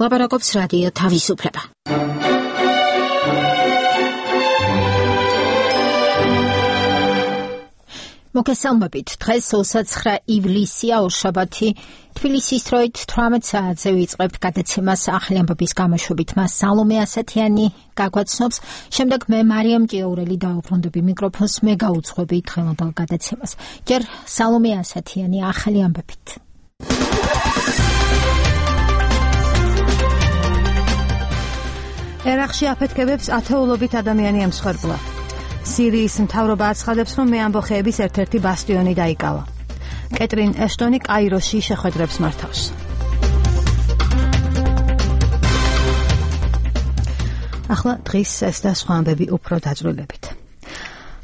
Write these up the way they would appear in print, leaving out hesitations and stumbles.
ლაპარაკობს რადიო თავისუფლება. მოგესალმებით. დღეს 29 ივლისია, ორშაბათი. თბილისის დროით 18 საათზე ვიწყებთ გადაცემას ახალი ამბების გამოშვებით. მას სალომე ასათიანი გაგვაცნობს. შემდეგ მე მარიამ ჭიაურელი დავუბრუნდები მიკროფონს, მე გაუძღვები დღევანდელ გადაცემას. ჯერ სალომე ასათიანი ახალი ამბებით. ერაყში აფეთქებებს ათეულობით ადამიანი ემსხვერპლა. სირიის მთავრობა აცხადებს, რომ მეამბოხეების ერთ-ერთი ბასტიონი დაიკავა. კეტრინ ეშტონი კაიროში შეხვედრებს მართავს. ახლა დღის ეს და სხვა ამბები უფრო დაწვრილებით.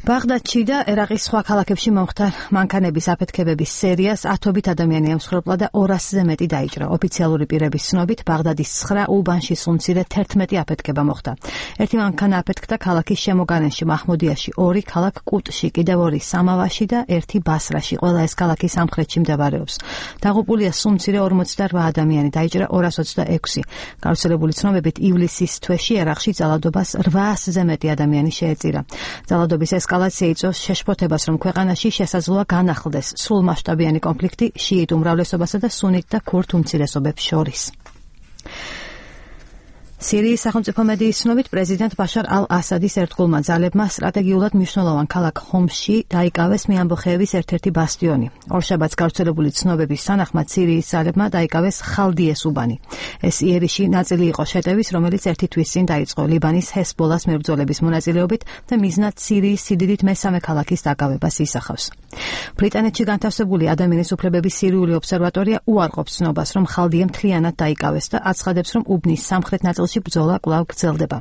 ბაღდადში და ერაყის სხვა ქალაქებში მომხდარ მანქანების აფეთქებების სერიას ათობით ადამიანი ემსხვერპლა და 200-ზე მეტი დაიჭრა. ოფიციალური პირების ცნობით, ბაღდადის 9 უბანში სულ მცირე 11 აფეთქება მოხდა. ერთი მანქანა აფეთქდა ქალაქის შემოგარენში მაჰმუდიაში, 2 ქალაქ კუტში, კიდევ 2 სამავაში და 1 ბასრაში. ყველა ეს ქალაქი სამხრეთში მდებარეობს. დაღუპულია სულ მცირე 48 ადამიანი, დაიჭრა 226. გავრცელებული ცნობებით, ივლისის თვეში ერაყში ძალადობას 800-ზე მეტი ადამიანი შეეწირა. ძალადობის ესკალაცია იწვევს შეშფოთებას, რომ ქვეყანაში შესაძლოა განახლდეს სრულმასშტაბიანი კონფლიქტი შიიტ უმრავლესობასა და სუნით და ქურთ უმცირესობებს შორის. სირიის სახელმწიფო მედიის ცნობით, პრეზიდენტ ბაშარ ალ-ასადის ერთგულმა ძალებმა სტრატეგიულად მნიშვნელოვან ქალაქ ხომსში დაიკავეს მეამბოხეების ერთ-ერთი ბასტიონი. ორშაბათს გავრცელებული ცნობების თანახმად, სირიის ძალებმა დაიკავეს ხალდიეს უბანი. ეს იერიში ნაწილი იყო შეტევის, რომელიც ერთი თვის წინ დაიწყო ლიბანის ჰესბოლას მებრძოლების მონაწილეობით და მიზნად სირიის სიდიდით მესამე ქალაქის დაკავებას ისახავს. ბრიტანეთში განთავსებული ადამიანის უფლებების სირიული ობსერვატორია უარყოფს ცნობას, რომ ხალდია მთლიანად დაიკავეს და აცხადებს, რომ უბნის სამხრეთ ნაწილში ბრძოლა კვლავ გრძელდება.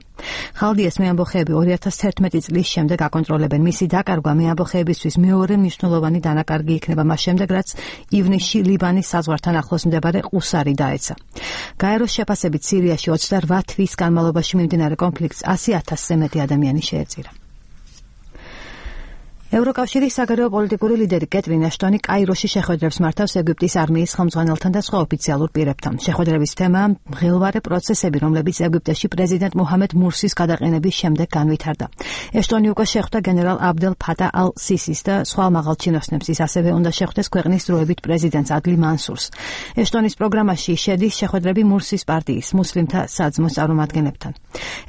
ხალდიეს მეამბოხეები 2011 წლის შემდეგ აკონტროლებენ. მისი დაკარგვა მეამბოხეებისთვის მეორე მნიშვნელოვანი დანაკარგი იქნება მას შემდეგ, რაც ივნისში ლიბანის საზღვართან ახლოს მდებარე ყუსარი დაეცა. გაეროს შეფასებით, სირიაში 28 თვის განმავლობაში მიმდინარე კონფლიქტს 100,000-ზე მეტი ადამიანი შეეწირა. ევროკავშირის საგარეო პოლიტიკური ლიდერი კეტრინ ეშტონი კაიროში შეხვედრებს მართავს ეგვიპტის არმიის ხელმძღვანელთან და სხვა ოფიციალურ პირებთან. შეხვედრების თემაა მღელვარე პროცესები, რომლებიც ეგვიპტეში პრეზიდენტ მუჰამედ მურსის გადაყენების შემდეგ განვითარდა. ეშტონი უკვე შეხვდა გენერალ აბდელ ფატა ალ-სისის და სხვა მაღალ ჩინოსნებს. ის ასევე უნდა შეხვდეს ქვეყნის დროებით პრეზიდენტს ადლი მანსურს. ეშტონის პროგრამაში შედის შეხვედრები მურსის პარტიის მუსლიმთა საძმოს წარმომადგენლებთან.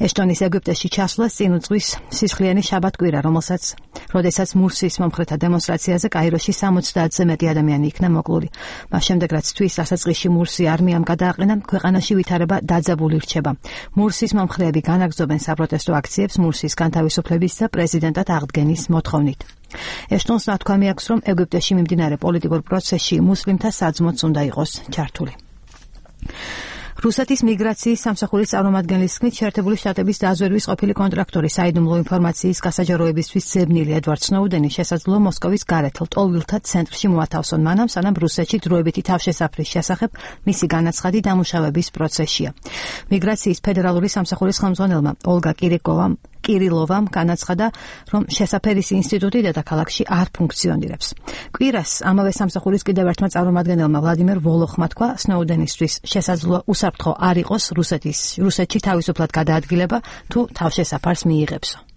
ეშტონის ეგვიპტეში ჩასვლას წინ უძღვის სისხლიანი შაბათ-კვირა, როდესაც მურსის მომხრეთა დემონსტრაციაზე კაიროში 70-ზე მეტი ადამიანი იქნა მოკლული. მას შემდეგ, რაც თვის დასაწყისში მურსი არმიამ გადააყენა, ქვეყანაში ვითარება დაძაბული რჩება. მურსის მომხრეები განაგრძობენ საპროტესტო აქციებს მურსის განთავისუფლების და პრეზიდენტად აღდგენის მოთხოვნით. ეშტონს ნათქვამი აქვს, რომ ეგვიპტეში მიმდინარე პოლიტიკურ პროცესში მუსლიმთა საძმოც უნდა იყოს ჩართული. რუსეთის მიგრაციის სამსახურის წარმომადგენლის თქმით, შეერთებული შტატების დაზვერვის ყოფილი კონტრაქტორი საიდუმლო ინფორმაციის გასაჯაროებისთვის ძებნილი ედვარდ სნოუდენი შესაძლოა მოსკოვის გარეთელ ტოლვილთა ცენტრში მოათავსონ, მანამ სანამ რუსეთში დროებითი თავშესაფრის შესახებ მისი განაცხადი დამუშავების პროცესშია. მიგრაციის ფედერალური სამსახურის ხელმძღვანელმა ოლგა კირილოვამ განაცხადა, რომ შესაფერის ინსტიტუტი დედაქალაქში არ ფუნქციონირებს. კვირას ამავე სამსახურის კიდევ ერთმა წარმომადგენელმა ვლადიმერ ვოლოხმა თქვა, სნოუდენისთვის შესაძლოა უსაფრთხო არ იყოს რუსეთში თავისუფლად გადაადგილება თუ თავშესაფარს მიიღებსო.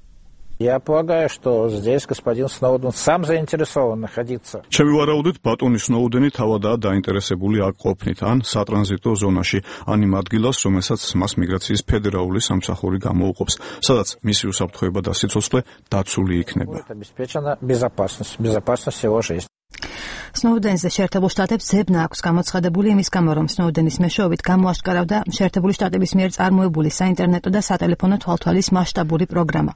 Я полагаю, что здесь господин Сноуден сам заинтересован находиться. Ჩემი ვარაუდით, ბატონი სნოუდენი თავადაა დაინტერესებული აქ ყოფნით, ან სატრანზიტო ზონაში, ან იმ ადგილას, რომელსაც მას მიგრაციის ფედერალური სამსახური გამოუყოფს, სადაც მისი უსაფრთხოება და სიცოცხლე დაცული იქნება. Обеспечена безопасность его жизни. სნოუდენზე შეერთებულ შტატებს ძებნა აქვს გამოცხადებული იმის გამო, რომ სნოუდენის მეშვეობით გამოაშკარავდა შეერთებული შტატების მიერ წარმოებული საინტერნეტო და სატელეფონო თვალთვალის მასშტაბური პროგრამა.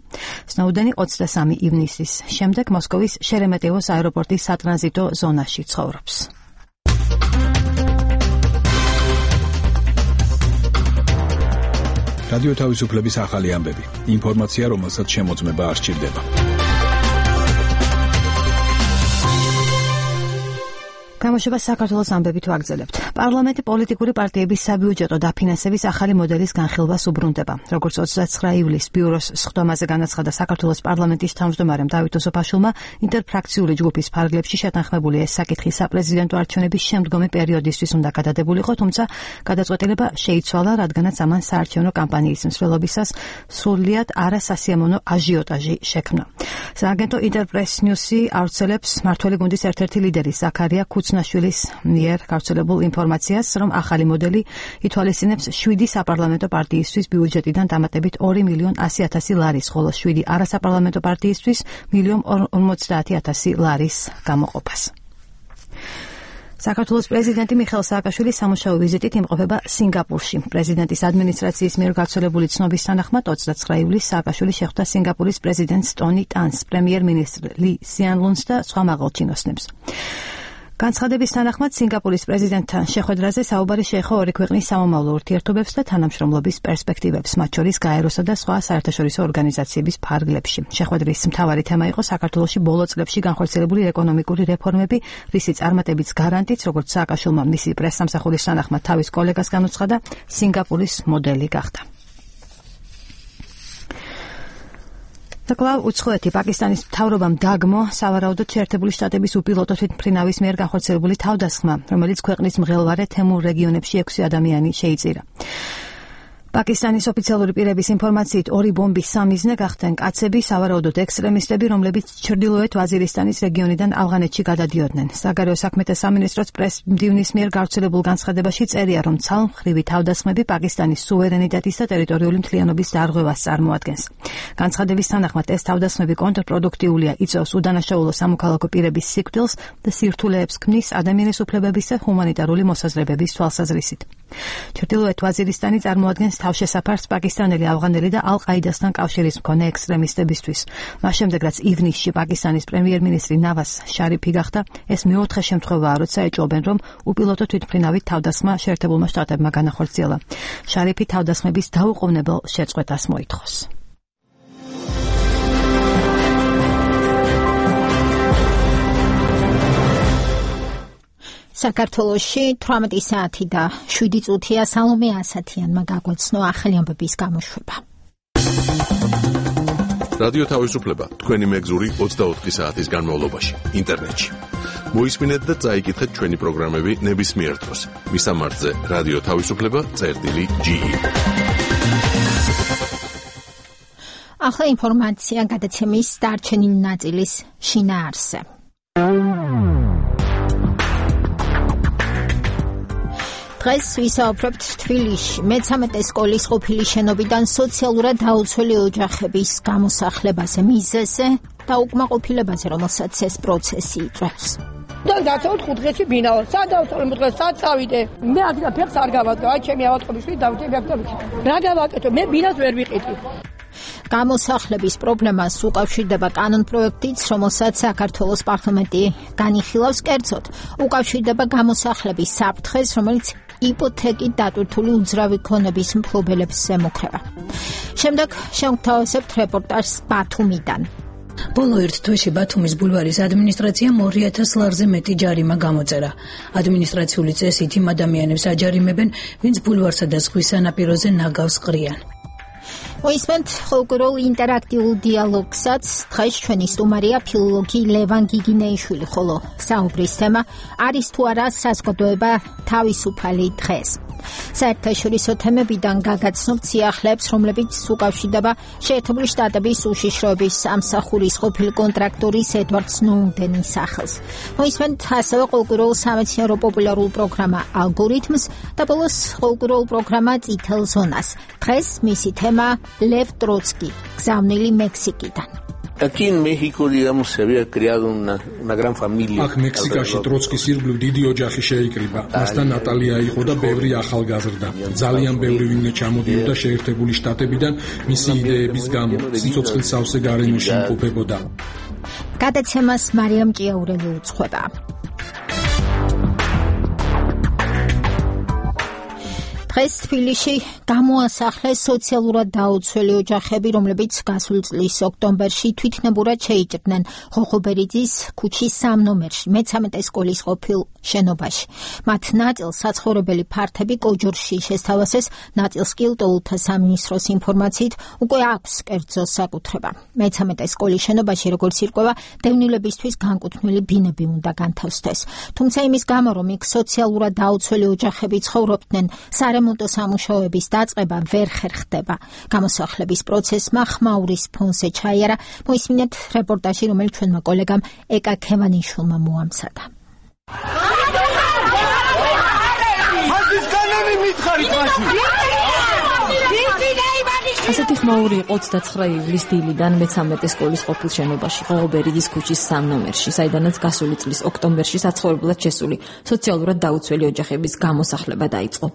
სნოუდენი 23 ივნისის შემდეგ მოსკოვის შერემეტიევოს აეროპორტის სატრანზიტო ზონაში ცხოვრობს. რადიო თავისუფლების ახალი ამბები. ინფორმაცია, რომელსაც შემოწმება არ სჭირდება. გამოშვება საქართველოს ამბებით ვაგრძელებთ. პარლამენტი პოლიტიკური პარტიების საბიუჯეტო დაფინანსების ახალი მოდელის განხილვას უბრუნდება. როგორც 29 ივლისს ბიუროს სხდომაზე განაცხადა საქართველოს პარლამენტის თავმჯდომარემ დავით ოსოფაშვილმა, ინტერფრაქციული ჯგუფის ფარგლებში შეთანხმებული ეს საკითხი საპრეზიდენტო არჩევნების შემდგომი პერიოდისთვის უნდა გადადებულიყო, თუმცა გადაწყვეტილება შეიცვალა, რადგანაც ამან საარჩევნო კამპანიის მსვლელობისას სრულიად არასასიამოვნო აჟიოტაჟი შექმნა. სააგენტო ინტერპრეს ნიუსი ავრცელებს მმართველი გუნდის ერთ-ერთი ლიდერი ზაქარია ქუცნაშვილის მიერ გავრცელებულ ინფორმაციას, რომ ახალი მოდელი ითვალისწინებს 7 საპარლამენტო პარტიისთვის ბიუჯეტიდან დამატებით 2.100.000 ლარის, ხოლო 7 არასაპარლამენტო პარტიისთვის 1.50.000 ლარის გამოყოფას. საქართველოს პრეზიდენტი მიხეილ სააკაშვილი სამუშაო ვიზიტით იმყოფება სინგაპურში. პრეზიდენტის ადმინისტრაციის მიერ გავრცელებული ცნობის თანახმად 29 ივლისს სააკაშვილი შეხვდა სინგაპურის პრეზიდენტს ტონი ტანს, პრემიერ-მინისტრ ლი სიან ლუნს და სხვა მაღალჩინოსნებს. განცხადების თანახმად სინგაპურის პრეზიდენტთან შეხვედრაზე საუბარი შეეხო ორი ქვეყნის სამომავლო ურთიერთობებს და თანამშრომლობის პერსპექტივებს, მათ შორის გაეროსა და სხვა საერთაშორისო ორგანიზაციების ფარგლებში. შეხვედრის მთავარი თემა იყო საქართველოში ბოლო წლებში განხორციელებული ეკონომიკური რეფორმები, რისი წარმატების გარანტიც, როგორც სააკაშვილმა მისი პრესსამსახურის თანახმად თავის კოლეგას განუცხადა, სინგაპურის მოდელი გახდა. კვლავ უცხოეთი პაკისტანის მთავრობამ დაგმო სავარაუდოდ შეერთებული შტატების უპილოტო თვითმფრინავის მიერ განხორციელებული თავდასხმა, რომელიც ქვეყნის მღელვარე თემურ რეგიონებში 6 ადამიანი შეიწირა. პაკისტანის ოფიციალური პირების ინფორმაციით 2 ბომბის სამიზნე გახდნენ კაცები, სავარაუდოდ ექსტრემისტები, რომლებიც ჩრდილოეთ ვაზირისტანის რეგიონიდან ავღანეთში გადადიოდნენ. საგარეო საქმეთა სამინისტროს პრეს-მდივნის მიერ გავრცელებულ განცხადებაში წერია, რომ ცალმხრივი თავდასხმები პაკისტანის სუვერენიტეტის და ტერიტორიული მთლიანობის დარღვევას წარმოადგენს. განცხადების თანახმად ეს თავდასხმები კონტრპროდუქტიულია, იწვევს უდანაშაულო სამოქალაქო პირების სიკვდილს და სირთულეებს ქმნის ადამიანის უფლებების და ჰუმანიტარული მოსაზრებების თვალსაზრისით. ჩრდილოეთ ვაზირისტანი წარმოადგენს თავშესაფარს პაკისტანელი, ავღანელი და ალ-ყაიდასთან კავშირის მქონე ექსტრემისტებისთვის. მას შემდეგ, რაც ივნისში პაკისტანის პრემიერ-მინისტრი ნავაზ შარიფი გახდა, ეს მეოთხე შემთხვევაა, როცა ეჭვობენ, რომ უპილოტო თვითმფრინავით თავდასხმა შეერთებულმა შტატებმა განახორციელა. შარიფი თავდასხმების დაუყოვნებელ შეწყვეტას მოითხოვს. საქართველოში 18 საათი და 7 წუთია სალომე ასათიანმა გაგვეცნო ახალი ამბების გამოშვება. რადიო თავისუფლება თქვენი მეგზური 24 საათის განმავლობაში ინტერნეტში. მოისმინეთ და წაიკითხეთ ჩვენი პროგრამები ნებისმიერ დროს. მისამართზე რადიო თავისუფლება.ge. ახლა ინფორმაცია გადაცემის დარჩენილი ნაწილის შინაარსზე. დღეს ვისაუბრებთ თბილისში მე-13 სკოლის ყოფილი შენობიდან სოციალურად დაუცველი ოჯახების გამოსახლებაზე, მიზეზზე და უკმაყოფილებაზე, რომელსაც ეს პროცესი იწვევს. დაცავთ 5 დღეში ბინაო. სად დავწვალე მოდგა, სად წავიდე? მე აქ ფეხს არ გავადგა, აი ჩემი ავატყობის შვილი დავიდე მეაქტორში. რა გავაკეთო? მე ბინას ვერ ვიყიდი. გამოსახლების პრობლემას უკავშირდება კანონპროექტიც, რომელსაც საქართველოს პარლამენტი განიხილავს, კერძოდ უკავშირდება გამოსახლების საფრთხეს, რომელიც იპოთეკით დატვირთული უძრავი ქონების მფლობელებს ემუქრება. შემდეგ შევთავაზებთ რეპორტაჟს ბათუმიდან. ბოლო ერთ თვეში ბათუმის ბულვარის ადმინისტრაციამ 2000 ლარზე მეტი ჯარიმა გამოწერა. ადმინისტრაციული წესით იმ ადამიანებს აჯარიმებენ, ვინც ბულვარსა და ზღვის სანაპიროზე ნაგავს ყრიან. მოისმენთ ხოლმე ინტერაქტიულ დიალოგსაც. დღეს ჩვენი სტუმარია ფილოლოგი ლევან გიგინეიშვილი, ხოლო საუბრის თემა არის თუ არა საზოგადოება თავისუფალი დღეს. საერთაშორისო თემებიდან გაგაცნობთ სიახლეებს, რომლებიც უკავშირდება შეერთებული შტატების უშიშროების სამსახურის ყოფილი კონტრაქტორის ედვარდ სნოუდენის სახელს. მოისმენთ ასევე ყოველკვირეულ სამეცნიერო პოპულარულ პროგრამა ალგორითმს და ბოლოს ყოველკვირეულ პროგრამა წითელ ზონას. დღეს მისი თემა ლევ ტროცკი, გზავნილი მექსიკიდან. Aquí en México, digamos, se había creado una gran familia. აქ მექსიკაში ტროცკის ირგვლივ დიდი ოჯახი შეიკრიბა. მასთან ნატალია იყო და ბევრი ახალგაზრდა. ძალიან ბევრი ვინმე ჩამოდიოდა შეერთებული შტატებიდან მისი იდეების გამო. სიცოცხლის სავსე გარემოში იმყოფებოდა. გადაცემას მარიამ ჭიაურელი უძღვება. დღეს თბილისში გამოასახლეს სოციალურად დაუცველი ოჯახები, რომლებიც გასული წლის ოქტომბერში თვითნებურად შეიჭრნენ ხოხობერიძის ქუჩის 3 ნომერში, მე-13 სკოლის ყოფილ შენობაში. მათ ნაწილს საცხოვრებელი ფართები კოჯორში შესთავაზეს, ნაწილს კი ლტოლთა სამინისტროს ინფორმაციით უკვე აქვს კერძო საკუთრება. მე-13 სკოლის შენობაში, როგორც ირკვევა, დევნილებისთვის განკუთვნილი ბინები უნდა განთავსდეს. თუმცა იმის გამო, რომ იქ სოციალურად დაუცველი ოჯახები ცხოვრობდნენ, სარემონტო სამუშაოების დაწყება ვერ ხერხდება. გამოსახლების პროცესმა ხმაურის ფონზე ჩაიარა. მოისმინეთ რეპორტაჟი, რომელიც ჩვენმა კოლეგამ ეკა ქევანიშვილმა მოამზადა. ასეთი ხმაური იყო 29 ივლისის დილიდან მე-13 სკოლის ყოფილ შენობაში, ხოხობერიძის ქუჩის 3 ნომერში, საიდანაც გასული წლის ოქტომბერში საცხოვრებლად შესული სოციალურად დაუცველი ოჯახების გამოსახლება დაიწყო.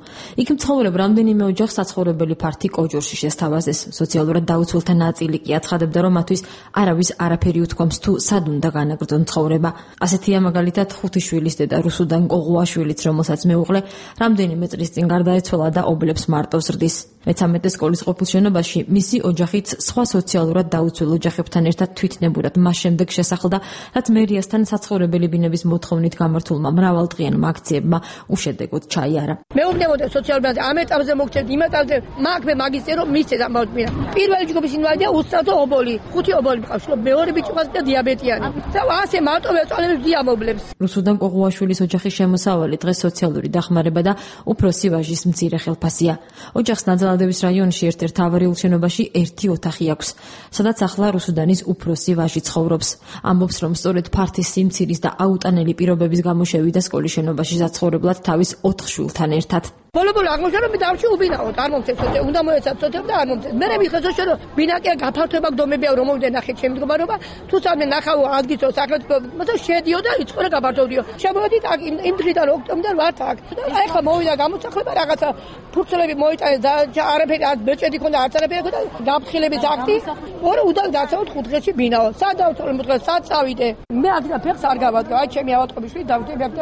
იქ მცხოვრებ რამდენიმე ოჯახს საცხოვრებელი ფართი კოჯორში შესთავაზეს. სოციალურად დაუცველთა ნაწილი კი აცხადებდა, რომ მათთვის არავის არაფერი უთქვამს თუ სად უნდა განაგრძონ ცხოვრება. ასეთია მაგალითად ხუთიშვილის დედა რუსუდან კოღუაშვილიც, რომელსაც მეუღლე რამდენიმე წლის წინ გარდაეცვალა და ობლებს მარტო ზრდის. მე-13 სკოლის ყოფილ შენობაში მისი ოჯახიც სხვა სოციალურად დაუცველ ოჯახებთან ერთად თვითნებურად მას შემდეგ შესახლდა, რაც მერიასთან საცხოვრებელი ბინების მოთხოვნით გამართულმა მრავალდღიანმა აქციებმა უშედეგოდ ჩაიარა. მეუბნებოდა სოციალურად ამ ეტაპზე მოგწევთ, იმ ეტაპზე მაგ მისცეს ამბავთ მინდა. პირველი ჯგუფის ინვალიდია უსწრაფო ობოლი, 5 ობოლი მყავს, მეორე ბიჭი ყავს და დიაბეტიანი. და ასე მარტო ეწოლებებს დიამობლებს. რუსუდან კოღუაშვილის ოჯახის შემოსავალი დღეს სოციალური დახმარება და უფროსი ვაჟის მცირე ხელფასია. ოჯახს ნაძალადების რაიონში ერთ-ერთ ავარიულ შენობაში 1 ოთახი აქვს, სადაც ახლა რუსუდანის უფროსი ვაჟი ცხოვრობს. ამბობს, რომ სწორედ ფართის სიმცირის და აუტანელი პირობების გამო შევიდა სკოლის შენობაში საცხოვრებლად თავის 4 შვილთან ერთად. ბოლო აღმოჩნდა, რომ დავში უბინაოთ, არ მომწევს, უნდა მოეცათ სოციალ და არ მომწევს. მე მიხესო რომ ბინაკია გაფართოება გდომებია, რომ მოვიდე ნახე ჩემი მდგომარეობა, თუ სამე ნახავ ადგილო სახელმწიფო, მაგრამ შედიო და იწყო რა გაფართოვდიო. შემოვედით იმ დღიდან ოქტომბერიდან ვართ აქ. აი ხა მოვიდა გამოსახლება რაღაცა ფურცლები მოიტანეს და არაფერი არ ბეჭედი ქონდა, არც არაფერი ქონდა, გაფრთხილების აქტი. ორი უდან დაცავთ 5 დღეში ბინაო. სად დავწოლე მუდღეს, სად წავიდე? მე ადგილ ფეხს არ გავადგა, აი ჩემი ავატყობიშვი დავდები აქ და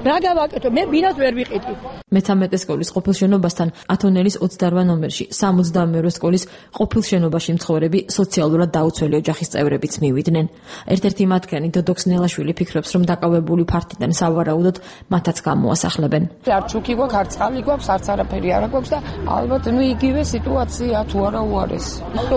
რა გავაკეთო? მე ბინას ვერ ვიყიდი. მე-13 სკოლის ყოფილ შენობასთან ათონელის 28 ნომერში 72 სკოლის ყოფილ შენობაში მცხოვრები სოციალურად დაუცველი ოჯახის წევრებიც მივიდნენ. ერთ-ერთი მათგანი დოდოქსნელაშვილი ფიქრობს, რომ დაკავებული ფართიდან სავარაუდოდ მათაც გამოასახლებენ. არ ჩუქი გვაქვს, არ წყალი გვაქვს, არც არაფერი არ გვაქვს და ალბათ იგივე სიტუაცია თუ არა უარეს.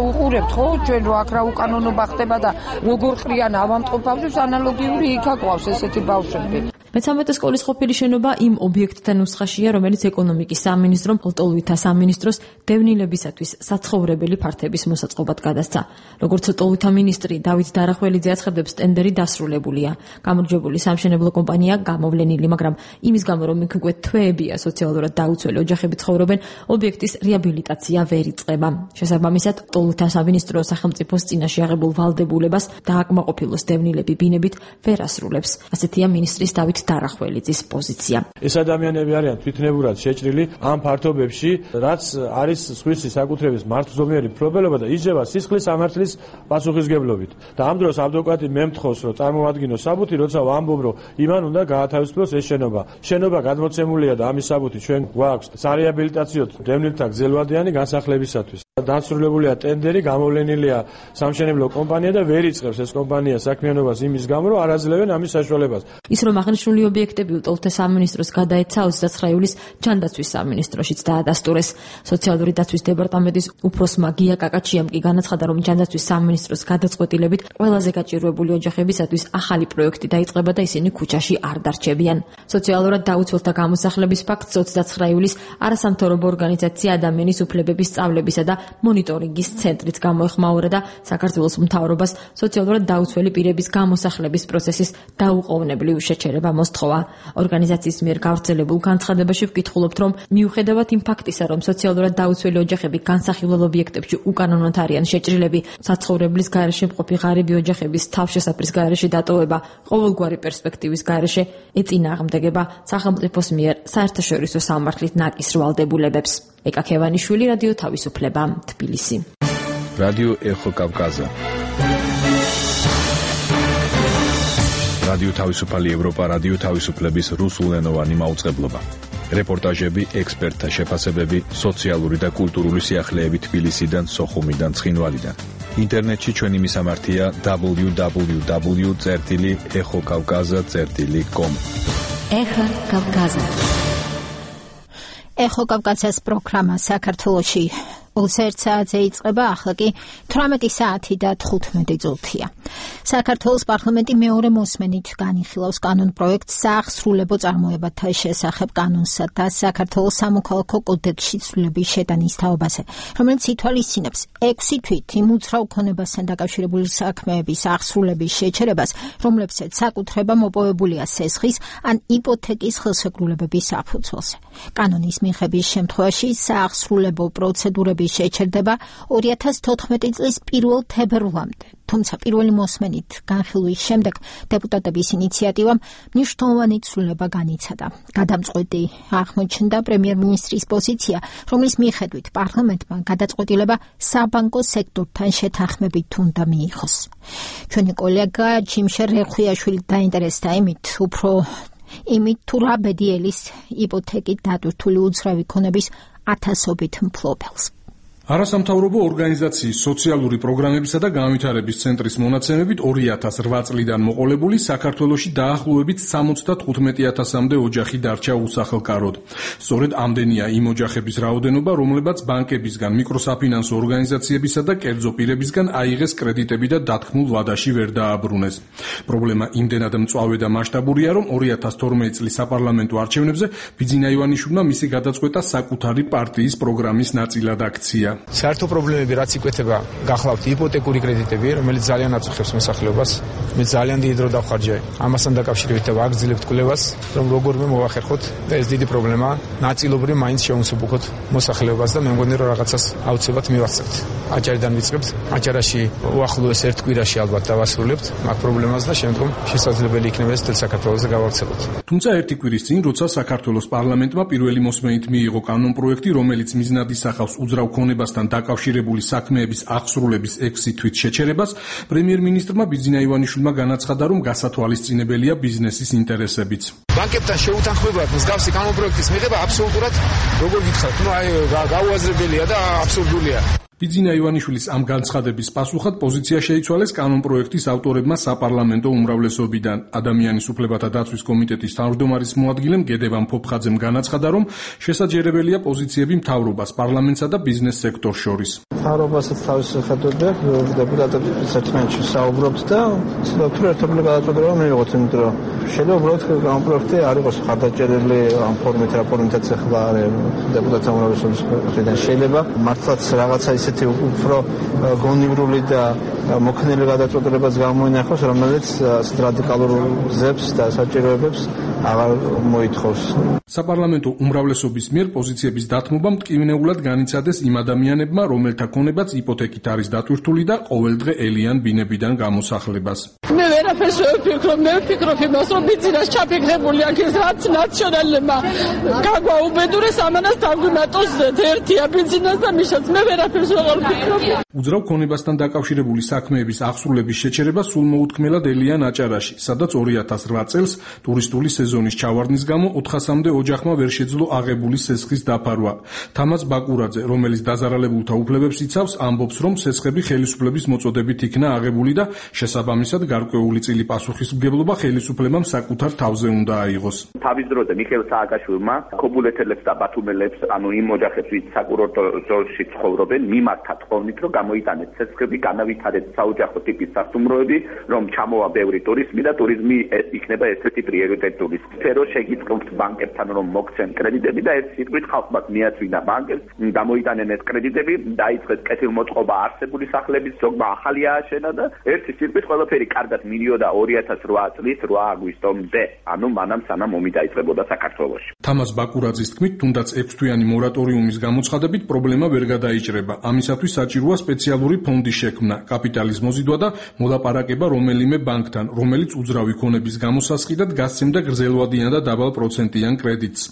უყურებთ ხო ჩვენ რო აქ რა უკანონობა ხდება და როგორ ყრიან ავამტყო ბავშვებს, ანალოგიური იქ აყვავს ესეთი ბავშვები. მე-13 სკოლის ყოფილი შენობა იმ ობიექტთან ნუსხაშია, რომელიც ეკონომიკის სამინისტრომ ლტოლვილთა სამინისტროს დევნილებისათვის საცხოვრებელი ფართების მოსაწყობად გადასცა. როგორც ლტოლვილთა მინისტრი დავით დარახველიძე აცხადებს, ტენდერი დასრულებულია. გამარჯვებული სამშენებლო კომპანია გამოვლენილი, მაგრამ იმის გამო, რომ იქ უკვე თვეებია სოციალურად დაუცველი ოჯახები ცხოვრობენ, ობიექტის რეაბილიტაცია ვერ იწყება. შესაბამისად, ლტოლვილთა სამინისტრო სახელმწიფოს წინაშე აღებულ ვალდებულებას დააკმაყოფილოს დევნილები ბინებით ვერ ასრულებს. ასეთია მინისტრის დავით დარახველიძის პოზიცია. ეს ადამიანები არიან თვითნებურად შეჭრილი ამ ფართობებში, რაც არის სხვისი საკუთრების მართლზომიერი მფლობელობა და იჯება სისხლის სამართლის პასუხისგებლობით. და ამ დროს ადვოკატი მე მთხოვს, რომ წარმოადგინოს საბუთი, როცა ვამბობ, რომ იმან უნდა გაათავისუფლოს ეს შენობა. შენობა გადმოცემულია და ამის საბუთი ჩვენ გვაქვს სარეაბილიტაციო დევნილთა გზელვადიანი განსახლებისათვის. დასრულებულია ტენდერი, გამოვლენილია სამშენებლო კომპანია და ვერ იწყებს ეს კომპანია საქმიანობას იმის გამო, რომ არ აძლევენ ამის საშუალებას. ის რომ აღნიშნული ობიექტები ლტოლვილთა სამინისტროს გადაეცა 29 ივლისს ჯანდაცვის სამინისტროშიც დაადასტურეს. სოციალური დაცვის დეპარტამენტის უფროსმა გია კაკაჩიამ კი განაცხადა, რომ ჯანდაცვის სამინისტროს გადაწყვეტილებით ყველაზე გაჭირვებული ოჯახებისათვის ახალი პროექტი დაიწყება და ისინი ქუჩაში არ დარჩებიან. სოციალურად დაუცველთა გამოსახლების ფაქტს 29 ივლისს არასამთავრობო ორგანიზაცია ადამიანის უფლებების სწავლებისა და მონიტორინგის ცენტრიც გამოეხმაურა და საქართველოს მთავრობას სოციალურად დაუცველი პირების გამოსახლების პროცესის დაუყოვნებლივ შეჩერება მოსთხოვა. ორგანიზაციის მიერ გავრცელებულ განცხადებაში ვკითხულობთ, რომ მიუხედავად იმ ფაქტისა, რომ სოციალურად დაუცველი ოჯახები განსახილველ ობიექტებში უკანონოდ არიან შეჭრილები, საცხოვრებლის გარეშე მყოფი ღარიბი ოჯახების თავშესაფრის გარეშე დატოვება ყოველგვარი პერსპექტივის გარეშე ეწინააღმდეგება სახელმწიფოს მიერ საერთაშორისო სამართლით ნაკისრ ვალდებულებებს. ეკა ქევანიშვილი, რადიო თავისუფლება, თბილისი. რადიო ეხო კავკაზა. რადიო თავისუფალი ევროპა, რადიო თავისუფლების რუსულენოვანი მაუწყებლობა. რეპორტაჟები, ექსპერტთა შეფასებები, სოციალური და კულტურული სიახლეები თბილისიდან, სოხუმიდან, ცხინვალიდან. ინტერნეტში ჩვენი მისამართია www.exokavkaza.com. Ეხო კავკაზა. ეხო კავკაზას პროგრამა საქართველოში 21 საათზე იწყება, ახლა კი 18 საათი და 15 წუთია. საქართველოს პარლამენტი მეორე მოსმენით განიხილავს კანონ პროექტს საახსრულებო წარმოებათა შესახებ კანონსა და საქართველოს სამოქალაქო კოდექსში ცვლილების შეტანის თაობაზე, რომელიც ითვალისწინებს 6 თვით იმ უძრავ ქონებასთან დაკავშირებული საქმეების აღსრულების შეჩერებას, რომლებსაც საკუთრება მოპოვებულია სესხის ან იპოთეკის ხელშეკრულებების საფუძველზე. კანონის მიღების შემთხვევაში საახსრულებო პროცედურები შეჩერდება 2014 წლის 1 თებერვლამდე. თუმცა პირველი მოსმენით განხილვის შემდეგ დეპუტატების ინიციატივამ მნიშვნელოვანი ცვლილება განიცადა. გადამწყვეტი აღმოჩნდა პრემიერ-მინისტრის პოზიცია, რომლის მიხედვით პარლამენტმა გადაწყვეტილება საბანკო სექტორთან შეთანხმებით უნდა მიიღოს. ჩვენი კოლეგა ჯიმშერ რეხვიაშვილი დაინტერესდა იმით თუ რა ბედიელის იპოთეკით დატვირთული უძრავი ქონების ათასობით მფლობელს. არასამთავრობო ორგანიზაციის სოციალური პროგრამებისა და განვითარების ცენტრის მონაცემებით 2008 წლიდან მოყოლებული საქართველოში დაახლოებით 75,000-მდე ოჯახი დარჩა უსახელკაროდ. სწორედ ამდენია იმ ოჯახების რაოდენობა, რომლებაც ბანკებისგან, მიკროსაფინანსო ორგანიზაციებისა და კერძო პირებისგან აიღეს კრედიტები და დათქმულ ვადაში ვერ დააბრუნეს. პრობლემა იმდენად მწვავე და მასშტაბურია, რომ 2012 წლის საპარლამენტო არჩევნებზე ბიძინა ივანიშვილმა მისი გადაწყვეტა საკუთარი პარტიის პროგრამის ნაწილად აქცია. საერთო პრობლემები რაც იკვეთება გახლავთ იპოთეკური კრედიტები, რომელიც ძალიან აწუხებს მოსახლეობას. მე ძალიან დიდი დრო დავხარჯე ამასთან დაკავშირებით და ვაგრძელებთ კვლევას, რომ როგორმე მოვახერხოთ და ეს დიდი პრობლემა ნაწილობრივ მაინც შევუსაბუქოთ მოსახლეობას და მე მგონი რომ რაღაცას აუცილებლად მივახცევთ. აჭარიდან ვიწყებთ, აჭარაში უახლოეს ერთ კვირაში ალბათ დავასრულებთ მაგ პრობლემას და შემდგომ შესაძლებელი იქნება ეს მთელ საქართველოს გავავრცელოთ. თუმცა ერთი კვირის წინ, როცა საქართველოს პარლამენტმა პირველი მოსმენით მიიღო კანონ პროექტი, რომელიც მიზნად ისახავს უძრავ ქონებასთან დაკავშირებული საქმეების აღსრულების 6 თვით შეჩერებას, პრემიერ-მინისტრმა ბიძინა ივანიშვილმა განაცხადა, რომ გასათვალისწინებელია ბიზნესის ინტერესებიც. ბანკებთან შეუთანხმებლად მსგავსი კანონპროექტის მიღება აბსოლუტურად, როგორ გითხრათ, გაუაზრებელია და აბსურდულია. ბიძინა ივანიშვილის ამ განცხადების პასუხად პოზიცია შეიცვალეს კანონპროექტის ავტორებმა საპარლამენტო უმრავლესობიდან. ადამიანის უფლებათა დაცვის კომიტეტის თავმჯდომარის მოადგილემ გედევან ფოფხაძემ განაცხადა, რომ შესაძლებელია პოზიციები მთავრობას, პარლამენტსა და ბიზნეს სექტორს შორის. მთავრობასაც თავის ხედვები აქვს, დეპუტატები საერთოდ საუბრობთ და ცდილობთ ერთობლივ გადაწყვეტილება მივიღოთ, იმიტომ რომ შეიძლება უბრალოდ კანონპროექტი არ იყოს ხარდაჭერილი ამ ფორმით, რა ფორმითაც ახლა არის დეპუტატთა უმრავლესობის მხრიდან. შეიძლება მართლაც რაღაცა ისეთი უფრო გონივრული და მოქნილი გადაწყვეტილებას გამოინახოს, რომელიც ასეთ რადიკალურ გზებს და საჭიროებებს აღარ მოითხოვს. საპარლამენტო უმრავლესობის მიერ პოზიციების დათმობა მტკივნეულად განიცადეს იმ ადამიანებმა, რომელთა ქონებაც იპოთეკით არის დატვირთული და ყოველდღე ელიან ბინებიდან გამოსახლებას. მე ვერაფერს ვფიქრობ, მე ვფიქრობ იმას, რომ ბიზნეს ჩაფიქრებული აქ ეს რაც ნაციონალებმა გაგვაუბედურეს, ამანას დაგვიმატოს ერთია ბიზნეს და მიშაც მე ვერაფერს ვეღარ ვფიქრობ. უძრავ ქონებასთან დაკავშირებული საქმეების აღსრულების შეჩერება სულ მოუთქმელად ელიან აჭარაში, სადაც 2008 წელს ტურისტული სეზონის ჩავარდნის გამო 400-მდე ოჯახმა ვერ შეძლო აღებული სესხის დაფარვა. თამაზ ბაკურაძე, რომელიც დაზარალებულთა უფლებებს იცავს, ამბობს, რომ სესხები ხელისუფლების მოწოდებით იქნა აღებული და შესაბამისად გარკვეული წილი პასუხისმგებლობა ხელისუფლებამ საკუთარ თავზე უნდა აიღოს. თავის დროზე მიხეილ სააკაშვილმა ქობულეთელებს და ბათუმელებს, ანუ იმ ოჯახებს, ვინც საკურორტო ზოლში ცხოვრობენ, მიმართა თხოვნით, რომ გამოიტანეთ სესხები, განავითარეთ საოჯახო ტიპის სასტუმროები, რომ ჩამოვა ბევრი ტურიზმი და ტურიზმი იქნება ერთ-ერთი პრიორიტეტული სფერო. შეგიწყობთ ბანკებთან, რომ მოგცენ კრედიტები და ერთ სიტყვით ხალხმაც მიაწვინა ბანკებს, გამოიტანენ ეს კრედიტები, დაიწყეს კეთილმოწყობა არსებული სახლების, ზოგმა ახალი ააშენა და ერთი სიტყვით ყველაფერი კარგად მიდიოდა 2008 წლის 8 აგვისტომდე, ანუ მანამ სანამ ომი დაიწყებოდა საქართველოში. თამაზ ბაკურაძის თქმით, თუნდაც 6-თვიანი მორატორიუმის გამოცხადებით პრობლემა ვერ გადაიჭრება. ამისათვის საჭიროა სპეციალური ფონდის შექმნა, კაპიტალის მოზიდვა და მოლაპარაკება რომელიმე ბანკთან, რომელიც უძრავი ქონების გამოსასყიდად გასცემდა გრძელვადიან და დაბალ პროცენტიან კრედიტს.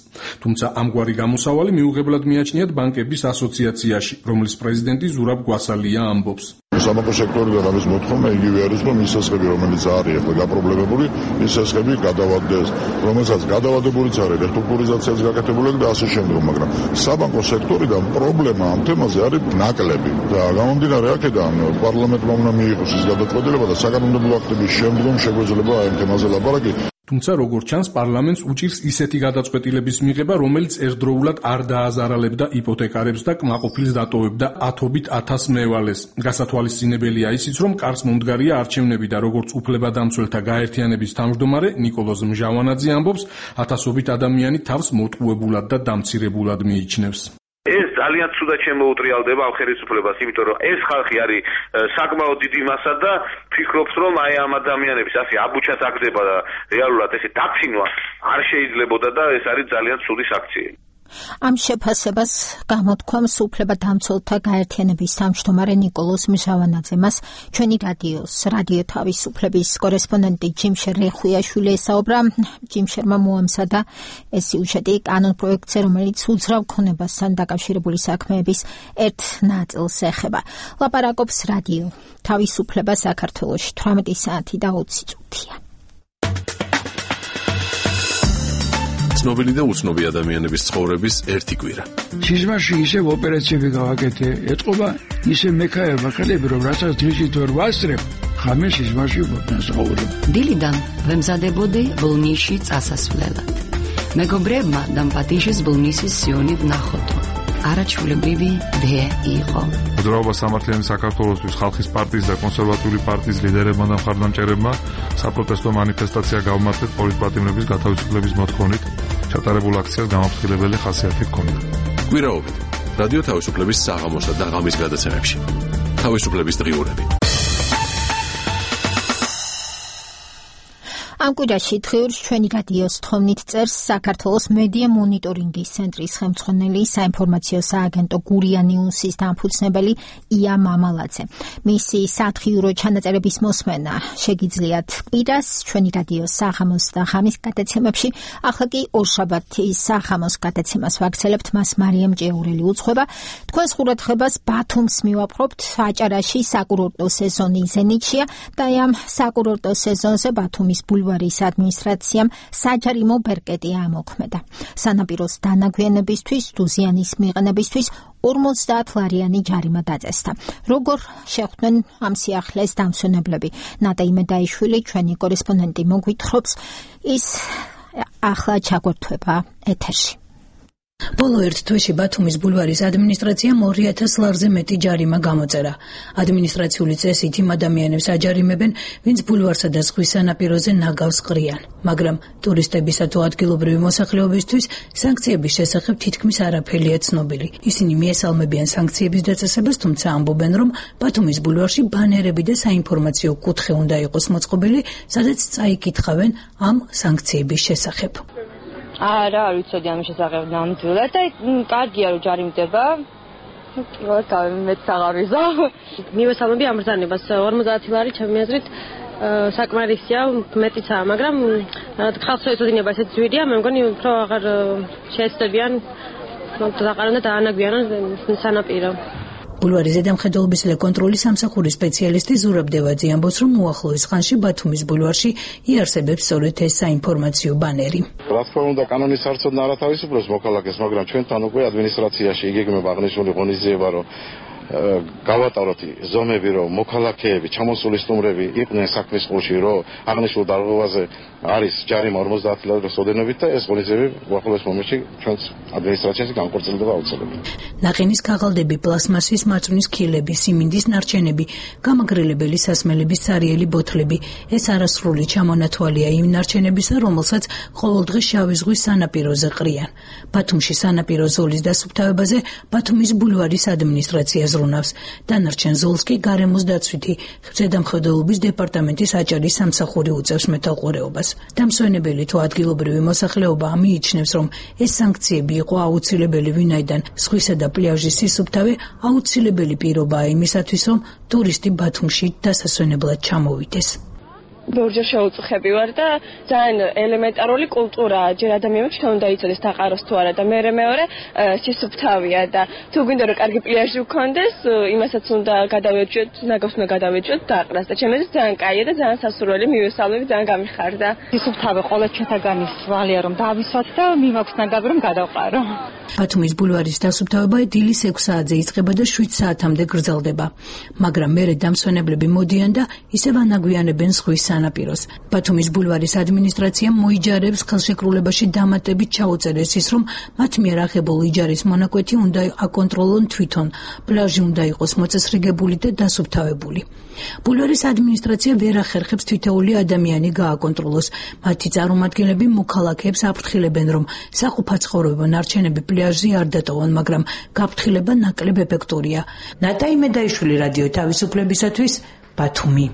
თუმცა ამგვარი გამოსავალი მიუღებლად მიაჩნიათ ბანკების ასოციაციაში, რომლის პრეზიდენტი ზურაბ გვასალია ამბობს. სამეფო სექტორიდან ამის მოთხოვნა იგივე არის, რომ ის სასხები, რომელიც არის ახლა გაპრობლემებული, ის სასხები გადავადდეს, რომელსაც გადავადებულიც არის რესტრუქტურიზაციას გაკეთებული და ასე შემდგომ, მაგრამ საბანკო სექტორიდან პრობლემა ამ თემაზე არის ნაკლები და გამომდინარე აქედან პარლამენტმა უნდა მიიღოს ის გადაწყვეტილება და საკანონმდებლო აქტების შემდგომ შეგვეძლება ამ თემაზე ლაპარაკი. თუმცა როგორც ჩანს, პარლამენტს უჭირს ისეთი გადაწყვეტილების მიღება, რომელიც ერთდროულად არ დააზარალებდა იპოთეკარებს და კმაყოფილს დატოვებდა ათობით ათას მევალეს. გასათვალისწინებელია ისიც, რომ კარს მომდგარია არჩევნები და როგორც უფლებადამცველთა გაერთიანების თავმჯდომარე ნიკოლოზ მჟავანაძე ამბობს, ათასობით ადამიანი თავს მოტყუებულად და დამცირებულად მიიჩნევს. ეს ძალიან ცუდად შემოუტრიალდება ამ ხელისუფლებას, იმიტომ რომ ეს ხალხი არის საკმაოდ დიდი მასა და ფიქრობს, რომ აი ამ ადამიანების ასე აბუჩას აგდება და რეალურად ესე დაცინვა არ შეიძლებოდა და ეს არის ძალიან ცუდი საქციელი. ამ შეფასებას გამოთქვამს უფლებადამცველთა გაერთიანების თავმჯდომარე ნიკოლოზ მჟავანაძე. მას ჩვენი რადიო თავისუფლების კორესპონდენტი ჯიმშერ რეხვიაშვილი ესაუბრა. ჯიმშერმა მოამზადა ეს სიუჟეტი კანონპროექტზე, რომელიც უძრავ ქონებასთან დაკავშირებული საქმეების ერთ ნაწილს ეხება. ლაპარაკობს რადიო თავისუფლება საქართველოში 18 საათი და 20 წუთია. ცნობილი და უცნობი ადამიანების ცხოვრების ერთი კვირა. სიზმარში ისევ ოპერაციები გავაკეთე, ეთყობა ისე მექაება ხელები, რომ რასაც დღისით ვერ ვასწრებ, ხამე სიზმარში ვსაუბრობ. დილიდან ვემზადებოდი ბოლნისში წასასვლელად. მეგობრებმა დამპატიჟეს ბოლნისის სიონი ვნახოდო. არაჩვეულებრივი დე იყო. მოძრაობა სამართლიანი საქართველოსთვის ხალხის პარტიის და კონსერვატიული პარტიის ლიდერებმა და მხარდამჭერებმა საპროტესტო მანიფესტაცია გავმართეთ პოლიტპატიმრების გათავისუფლების მოთხოვნით. ჩატარებულ აქციას გამაფრთხილებელი ხასიათი ჰქონდა. კვირაობით რადიო თავისუფლების საღამოსა და ღამის გადაცემებში. თავისუფლების დღიურები. ამ კვირაში დღიურს ჩვენი რადიოს თხოვნით წერს საქართველოს მედია მონიტორინგის ცენტრის ხელმძღვანელი საინფორმაციო სააგენტო გურია ნიუსის დამფუძნებელი ია მამალაძე. მისი სათხიურო ჩანაწერების მოსმენა შეგიძლიათ კვირას ჩვენი რადიოს საღამოს და ღამის გადაცემებში. ახლა კი ორშაბათის საღამოს გადაცემას ვაგრძელებთ, მას მარიამ ჭეურელი უძღვება. თქვენს ყურადღებას ბათუმს მივაპყრობთ. აჭარაში საკურორტო სეზონი ზენიტშია და ამ საკურორტო სეზონზე ბათუმის ბულვარის ადმინისტრაციამ საჯარიმო ბერკეტი ამოქმედა. სანაპიროს დანაგვიანებისთვის, დუზიანის მიყენებისთვის 50 ლარიანი ჯარიმა დაწესდა. როგორ შეხვდნენ ამ სიახლეს დამსვენებლები? ნატა იმედაიშვილი, ჩვენი კორესპონდენტი მოგვითხრობს, ის ახლა ჩაგვერთვება ეთერში. ბოლო ერთ თვეში ბათუმის ბულვარის ადმინისტრაციამ 2000 ლარზე მეტი ჯარიმა გამოწერა. ადმინისტრაციული წესით იმ ადამიანებს აჯარიმებენ, ვინც ბულვარსა და ზღვის სანაპიროზე ნაგავს ყრიან. მაგრამ ტურისტებისა თუ ადგილობრივი მოსახლეობისთვის სანქციების შესახებ თითქმის არაფერია ცნობილი. ისინი მიესალმებიან სანქციების დაწესებას, თუმცა ამბობენ, რომ ბათუმის ბულვარში ბანერები და საინფორმაციო კუთხე უნდა იყოს მოწყობილი, სადაც წაიკითხავენ ამ სანქციების შესახებ. არა, არ ვიცოდი ამის შესახებ ნამდვილად და კარგია რომ ჯარიმდება. მეც აღარ ვიზა. მივესალმები ამ ბრძანებას 50 ლარი ჩემი აზრით საკმარისია, მეტიცაა, მაგრამ ხალხს ეწოდინება ესეთ ძვირია, მე მგონი უფრო აღარ შეეცდებიან დაყარონ და დაანაგვიანონ სანაპირო. ბულვარის ზედამხედველობის კონტროლის სამსახურის სპეციალისტი ზურაბ დევაძე ამბობს, რომ უახლოეს ხანში ბათუმის ბულვარში იარსებებს სწორედ ეს საინფორმაციო ბანერი. რა თქმა უნდა, კანონის არცოდნა არ ათავისუფლებს მოქალაქეს, მაგრამ ჩვენთან უკვე ადმინისტრაციაში იგეგმება აღნიშნული ღონისძიება, რომ გავატაროთ ზომები, რომ მოქალაქეები, ჩამოსული სტუმრები იყვნენ საქმის ყურში, რომ აღნიშნულ დარღვევაზე არის ჯარიმა 50 ლარის ოდენობით და ეს ღონისძიებები უახლოეს მომენტში ჩვენს ადმინისტრაციაში განხორციელდება აუცილებლად. ნაყინის ქაღალდები, პლასმასის მარწვნის ქილები, სიმინდის ნარჩენები, გამაგრილებელი სასმელების სარიელი ბოთლები. ეს არასრული ჩამონათვალია იმ ნარჩენებისა, რომელსაც ყოველდღე შავი ზღვის სანაპიროზე ყრიან. ბათუმში სანაპირო ზოლის დასუფთავებაზე ბათუმის ბულვარის ადმინისტრაცია ზრუნავს. დანარჩენ ზოლს კი გარემოს დაცვითი ზედამხედველობის დეპარტამენტის აჭარის სამსახური უწევს მეთვალყურეობას. დამსვენებელი თუ ადგილობრივი მოსახლეობა მიიჩნევს, რომ ეს სანქციები იყო აუცილებელი, ვინაიდან ზღვისა და პლიაჟის სისუფთავე აუცილებელი პირობაა იმისათვის, რომ ტურისტი ბათუმში დასასვენებლად ჩამოვიდეს. ბევრჯერ შეუწუხები ვარ და ძალიან ელემენტარული კულტურაა. ჯერ ადამიანებს შენ უნდა იცოდეს დაყაროს თუ არა და მეორე სისუფთავია და თუ გვინდა რომ კარგი პლიაჟი გქონდეს, იმასაც უნდა გადავეჭოთ, ნაგავს უნდა გადავეჭოთ დაყრას და ჩემთვის ძალიან კაია და ძალიან სასურველი მივესალმები, ძალიან გამიხარდა. სისუფთავე ყველა ჩვენთაგანის ვალია რომ დავისვათ და მიმაქვს ნაგავი რომ გადავყარო. ბათუმის ბულვარის დასუფთავება დილის 6 საათზე იწყება და 7 საათამდე გრძელდება. მაგრამ მერე დამსვენებლები მოდიან და ისევ ანაგვიანებენ ზღვის სანაპიროს. ბათუმის ბულვარის ადმინისტრაციამ მოიჯარებს ხელშეკრულებაში დამატებით ჩაუწერეს ის, რომ მათ მიერ აღებულ იჯარის მონაკვეთი უნდა აკონტროლონ თვითონ, პლაჟი უნდა იყოს მოწესრიგებული და დასუფთავებული. ბულვარის ადმინისტრაცია ვერ ახერხებს თითოეული ადამიანი გააკონტროლოს. მათი წარმომადგენლები მოქალაქეებს აფრთხილებენ, რომ საყოფაცხოვრებო ნარჩენები პლაჟზე არ დატოვონ, მაგრამ გაფრთხილება ნაკლებ ეფექტურია. ნატაი მედაიშვილი, რადიო თავისუფლებისათვის, ბათუმი.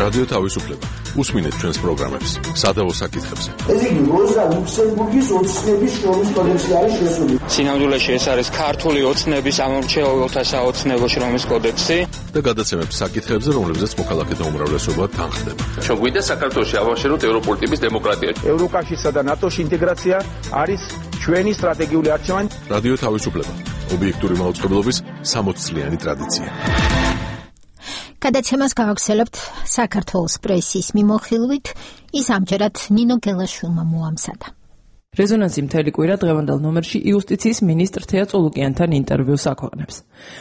რადიო თავისუფლება. უსმინეთ ჩვენს პროგრამებს. სადავო საკითხებზე. ეს იგი როზა ლუქსემბურგის ოცნების შრომის კოდექსი არის შესული. სინამდვილეში ეს არის ქართული ოცნების ამორჩეულთა საოცნებო შრომის კოდექსი და გადაცემებს საკითხებზე, რომლებზეც მოქალაქეთა უმრავლესობა თანხდება. ჩვენ გვინდა საქართველოში ავაშენოთ ევროპული ტიპის დემოკრატია. ევროკავშირსა და ნატოში ინტეგრაცია არის ჩვენი სტრატეგიული არჩევანი. რადიო თავისუფლება. ობიექტური მაუწყებლობის 60 წლიანი ტრადიცია. გადაცემას გავაგრძელებთ საქართველოს პრესის მიმოხილვით, ის ამჯერად ნინო გელაშვილმა მოამზადა. რეზონანსი მთელი კვირა დღევანდელ ნომერში იუსტიციის მინისტრ თეა წულუკიანთან ინტერვიუს აქვეყნებს.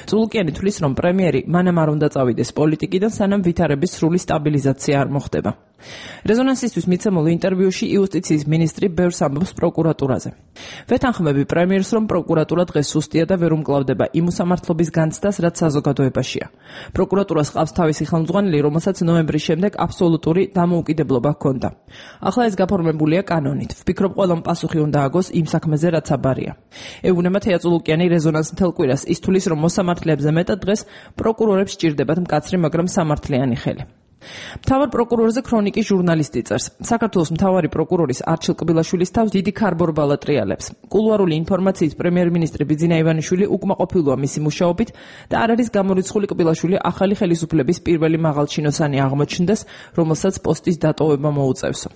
წულუკიანი თვლის, რომ პრემიერი მანამ არ უნდა წავიდეს პოლიტიკიდან, სანამ ვითარების სრული სტაბილიზაცია არ მოხდება. რეზონანსისთვის მიცემულ ინტერვიუში იუსტიციის მინისტრი ბევრს ამბობს პროკურატურაზე. ვეთანხმები პრემიერს, რომ პროკურატურა დღეს სუსტია და ვერ უმკლავდება იმ უსამართლობის განცდას, რაც საზოგადოებაშია. პროკურატურას ყავს თავისი ხელმძღვანელი, რომელსაც ნოემბრის შემდეგ აბსოლუტური დამოუკიდებლობა ჰქონდა. ახლა ეს გაფორმებულია კანონით. ვფიქრობ, ყველამ პასუხი უნდა აგოს იმ საქმეზე, რაც აბარია. ეუბნება თეა წულუკიანი რეზონანს მთელ კვირას, ის თulis, რომ მოსამართლეებზე მეტად დღეს პროკურორებს სჭირდებათ მკაცრი, მაგრამ სამართლიანი ხელი. მთავარ პროკურორზე ქრონიკის ჟურნალისტი წერს. საქართველოს მთავარი პროკურორის არჩილ კბილაშვილის თავს დიდი ქარბორბალა ტრიალებს. კულუარული ინფორმაციით პრემიერ-მინისტრი ბიძინა ივანიშვილი უკმაყოფილოა მისი მუშაობით და არ არის გამორიცხული კბილაშვილი ახალი ხელისუფლების პირველი მაღალჩინოსანი აღმოჩნდეს, რომელსაც პოსტის დატოვება მოუწევსო.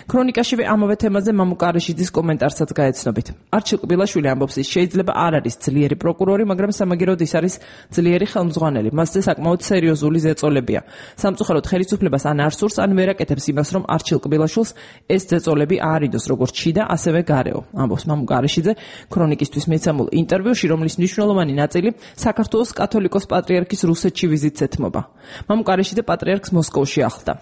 ქრონიკაშივე ამავე თემაზე მამუკა არაშიძის კომენტარსაც გაეცნობით. არჩილ კბილაშვილი ამბობს, ის შეიძლება არ არის ძლიერი პროკურორი, მაგრამ სამაგიეროდ ის არის ძლიერი ხელმძღვანელი. მასზე საკმაოდ სერიოზული ზეწოლებია. სამწუხაროდ ხელისუფლებას ან არ სურს, ან ვერ აკეთებს იმას, რომ არჩილ კბილაშვილს ეს ზეწოლები აარიდოს როგორც შიდა, ასევე გარეო. ამბობს მამუკა არაშიძე ქრონიკისთვის მიცემულ ინტერვიუში, რომლის მნიშვნელოვანი ნაწილი საქართველოს კათოლიკოს პატრიარქის რუსეთში ვიზიტს ეთმობა. მამუკა არაშიძე პატრიარქს მოსკოვში ახლდა.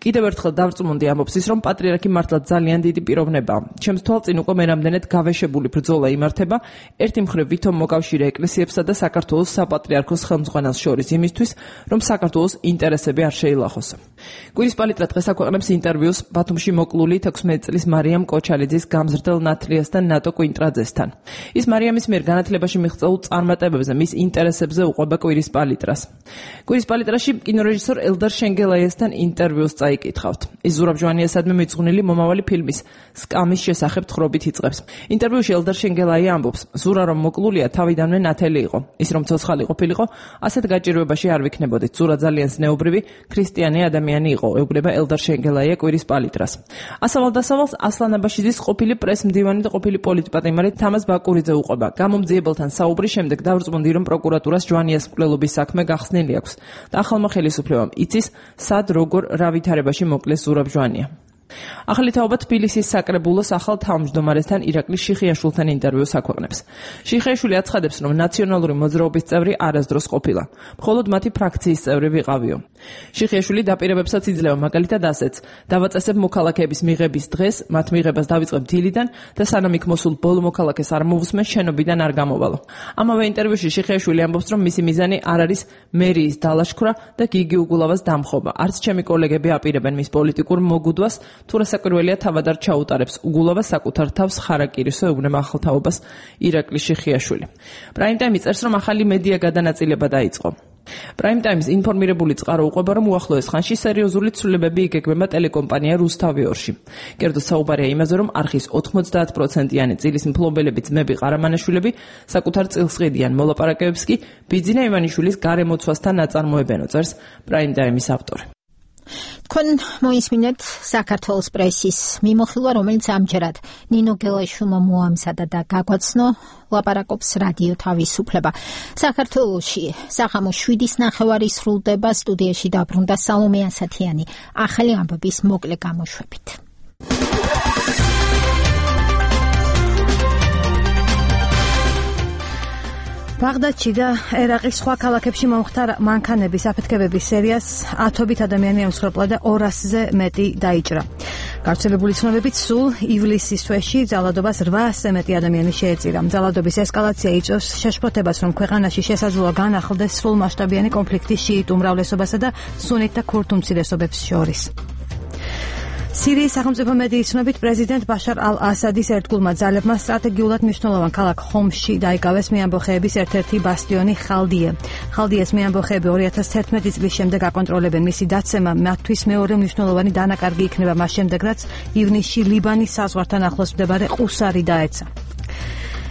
კიდევ ერთხელ დავწმუნდი, ამბობს ის, რომ პატრიარქი მართლა ძალიან დიდი პიროვნებაა. ჩემს თვალწინ უკვე მერამდენედ გავეშებული ბრძოლა იმართება, ერთი მხრივ ვითომ მოკავშირე ეკლესიებსა და საქართველოს საპატრიარქოს ხელმძღვანელს შორის იმისთვის, რომ საქართველოს ინტერესები არ შეილახოს. კვირის პალიტრა დღეს აქვეყნებს ინტერვიუს ბათუმში მოკლული 16 წლის მარიამ კოჩალიძის გამზრდელ ნათლიასთან ნატო კვინტრაძესთან. ის მარიამის მიერ განათლებაში მიღწეულ წარმატებებზე, მის ინტერესებზე უყვება კვირის პალიტრას. კვირის პალიტრაში კინორეჟისორ ელდარ შენგელაიასთან ინტერვიუს წაიკითხავთ. ის ზურაბ ჟვანიასადმი მიძღვნილი მომავალი ფილმის სკამის შესახებ თხრობით იწყებს. ინტერვიუში ელდარ შენგელაია ამბობს, ზურა რომ მოკლულია თავიდანვე ნათელი იყო. ის რომ ცოცხალი ყოფილიყო, ასეთ გაჭირვებაში არ ვიქნებოდით. ზურა ძალიან ზნეობრივი ქრისტიანი ადამიანი იყო, ეუბნება ელდარ შენგელაია კვირის პალიტრას. ასავალ-დასავალს ასლან აბაშიძის ყოფილი პრეს-მდივანი და ყოფილი პოლიტპატიმარი თამაზ ბაკურიძე უყვება. გამომძიებელთან საუბრის შემდეგ დავწმუნდი, რომ პროკურატურას ჟვანიას მკვლელობის საქმე გახსნილი აქვს და ახალმა ხელისუფლებამ იცის, სად როგორ რა ვითარებაში მოკლეს ზურაბ ჟვანია. ახალი თაობა თბილისის საკრებულოს ახალ თავმჯდომარესთან ირაკლი შიხიაშვილთან ინტერვიუს აქვეყნებს. შიხიაშვილი აცხადებს, რომ ნაციონალური მოძრაობის წევრი არასდროს ყოფილა, მხოლოდ მათი ფრაქციის წევრი ვიყავიო. შიხიაშვილი დაპირებებსაც იძლევა, მაგალითად ასეც: დავაწესებ მოქალაქეების მიღების დღეს, მათ მიღებას დავიწყებ დილიდან და სანამ იქ მოსულ ბოლო მოქალაქეს არ მოვუსმენ, შენობიდან არ გამოვალო. ამავე ინტერვიუში შიხიაშვილი ამბობს, რომ მისი მიზანი არ არის მერიის დალაშქვრა და გიგი უგულავას დამხობა. არც ჩემი კოლეგები აპირებენ მის პოლიტიკურ მოგუდვას, თუ რასაკვირველია თავად არ ჩაუტარებს უგულავა საკუთარ თავს ხარაკირისო, ეუბნება ახალ თაობას ირაკლი შიხიაშვილი. პრაიმ ტაიმი წერს, რომ ახალი მედია გადანაწილება დაიწყო. Prime Times ინფორმირებული წყარო უყვება, რომ უახლოეს ხანში სერიოზული ცვლილებები იგეგმება ტელეკომპანია რუსთავიორში. კერძოდ საუბარია იმაზე, რომ არხის 90%-იანი წილის მფლობელები ძმები ყარამანაშვილები საკუთარ წილს ყიდიან, მოლაპარაკებებს კი ბიძინა ივანიშვილის გარემოცვასთან აწარმოებენ, წერს Prime Times ავტორი. თქვენ მოისმინეთ საქართველოს პრესის მიმოხილვა, რომელიც ამჯერად ნინო გელაშვილმა მოამზადა და გაგვაცნო, ლაპარაკობს რადიო თავისუფლება. საქართველოში საღამო 7:09 სრულდება, სტუდიაში დაბრუნდა სალომე ასათიანი, ახალი ამბების მოკლე გამოშვებით. ბაღდადში და ერაყის სხვა ქალაქებში მომხდა მანქანების აფეთქებების სერიას 10-ობით ადამიანი ემსხვერპლა და 200-ზე მეტი დაიჭრა. გავრცელებული ცნობებით სულ ივლისის თვეში ძალადობას 800-ზე მეტი ადამიანი შეეწირა. ძალადობის ესკალაცია იწვევს შეშფოთებას, რომ ქვეყანაში შესაძლოა განახლდეს სრულმასშტაბიანი კონფლიქტი შიიტ უმრავლესობასა და სუნიტთა ქურთ უმცირესობებს შორის. სირიის სახელმწიფო მედიის ცნობით პრეზიდენტ ბაშარ ალ-ასადის ერთგულმა ძალებმა სტრატეგიულად მნიშვნელოვან ქალაქ ხომსში დაიკავეს მეამბოხეების ერთ-ერთი ბასტიონი ხალდიე. ხალდიეს მეამბოხეები 2011 წლის შემდეგ აკონტროლებენ. მისი დაცემა მათთვის მეორე მნიშვნელოვანი დანაკარგი იქნება მას შემდეგ, რაც ივნისში ლიბანის საზღვართან ახლოს მდებარე ყუსარი დაეცა.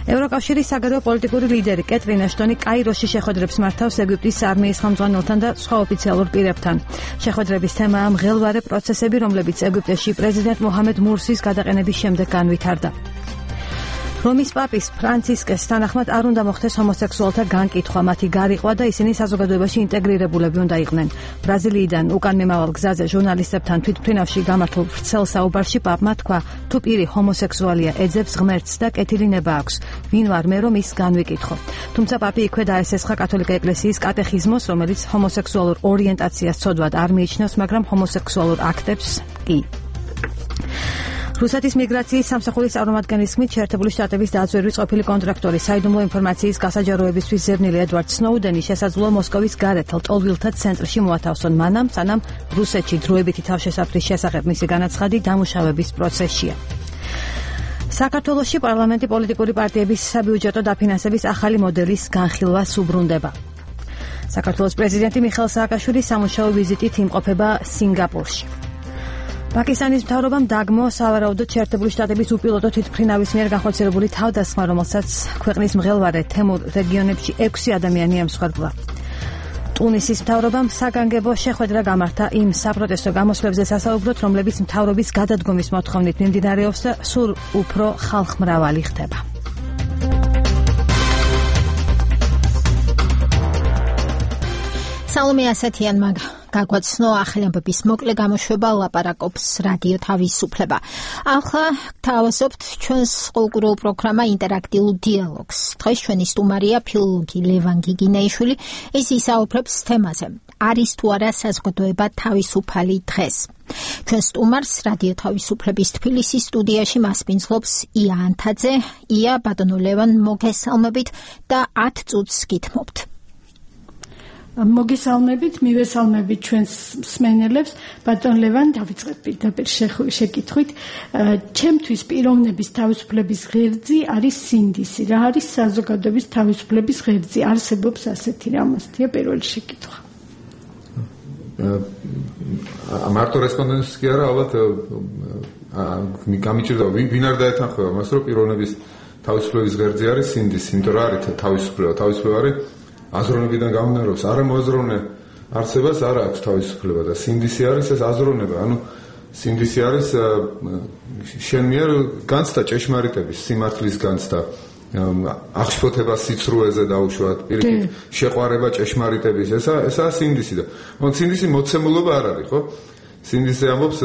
ევროკავშირის საგარეო პოლიტიკური ლიდერი კეტრინ აშტონი კაიროში შეხვედრებს მართავს ეგვიპტის არმიის ხელმძღვანელთან და სხვა ოფიციალურ პირებთან. შეხვედრების თემაა მღელვარე პროცესები, რომლებიც ეგვიპტეში პრეზიდენტ მოჰამედ მურსის გადაყენების შემდეგ განვითარდა. რომის პაპის ფრანცისკეს თანახმად არ უნდა მოხდეს ჰომოსექსუალთა განკითხვა, მათი გარიყვა და ისინი საზოგადოებაში ინტეგრირებულები უნდა იყვნენ. ბრაზილიიდან უკან მიმავალ გზაზე ჟურნალისტებთან თვითმფრინავში გამართულ ვრცელ საუბარში პაპმა თქვა, თუ პირი ჰომოსექსუალია, ეძებს ღმერთს და კეთილი ნება აქვს. ვინ ვარ მე, რომ ის განვიკითხო. თუმცა პაპი იქვე დაესესხა კათოლიკე ეკლესიის კატეხიზმოს, რომელიც ჰომოსექსუალურ ორიენტაციას ცოდვად არ მიიჩნევს, მაგრამ ჰომოსექსუალურ აქტებს კი. რუსეთის მიგრაციის სამსახურის წარმომადგენლის შეერთებული შტატების დაძვერვის ყოფილი კონტრაქტორი საიდუმლო ინფორმაციის გასაჯაროებისთვის ზერნილი ედვარდ სნოუდენი შესაძლოა მოსკოვის გარეთელ ტოლვილთა ცენტრში მოათავსონ მანამ, სანამ რუსეთში დროებითი თავშესაფრის შესახებ მისი განაცხადი დამუშავების პროცესშია. საქართველოში პარლამენტი პოლიტიკური პარტიების საბიუჯეტო დაფინანსების ახალი მოდელის განხილვას უბრუნდება. საქართველოს პრეზიდენტი მიხეილ სააკაშვილი სამუშაო ვიზიტით იმყოფება სინგაპურში. პაკისტანის მთავრობამ დაგმო სავარაუდოდ შეერთებული შტატების უპილოტო თვითმფრინავის მიერ განხორციელებული თავდასხმა, რომელსაც ქვეყნის მღელვარე თემურ რეგიონებში 6 ადამიანი ემსხვერპლა. ტუნისის მთავრობამ საგანგებო შეხვედრა გამართა იმ საპროტესტო გამოსვლებზე სასაუბროთ, რომლებიც მთავრობის გადადგომის მოთხოვნით მიმდინარეობს და სულ უფრო ხალხმრავალი ხდება. სალომე ასათიანმა გაგვაცნო ახალი ამბების მოკლე გამოშვება, ლაპარაკობს რადიო თავისუფლება. ახლა თავაზობთ ჩვენს ყურულ პროგრამა ინტერაქტიულ დიალოგს. დღეს ჩვენი სტუმარია ფილოლოგი ლევან გიგინეიშვილი. ის ისაუბრებს თემაზე: არის თუ არა საზოგადოება თავისუფალი დღეს? ჩვენ სტუმარს რადიო თავისუფლების თბილისის სტუდიაში მასპინძლობს ია ანთაძე. ია, ბატონო ლევან, მოგესალმებით და 10 წუთს გითმობთ. მოგესალმებით, მივესალმებით ჩვენს მსმენელებს. ბატონ ლევან, დავიწყებ პირდაპირ შეკითხვით. ჩემთვის პიროვნების თავისუფლების ღერძი არის სინდისი. რა არის საზოგადოების თავისუფლების ღერძი? არსებობს ასეთი რამოსთია პირველი შეკითხვა. მარტო რესპონდენტს კი არა, ალბათ გამიჭირდა ვინ არ დაეთანხმება მას, რომ პიროვნების თავისუფლების ღერძი არის სინდისი, იმიტომ რომ არის თავისუფლება არის აზროვნებიდან გამომდინარეობს, არა მოაზროვნე არსებას არ აქვს თავისუფლება და სინდისი არის ეს აზროვნება. ანუ სინდისი არის შენ მიერ განცდა ჭეშმარიტების, სიმართლის განცდა, აღშფოთება სიცრუეზე დაუშვათ, პირიქით შეყვარება ჭეშმარიტების, ესაა სინდისი და სინდისი მოცემულობა არ არის, ხო? სინდისი ამბობს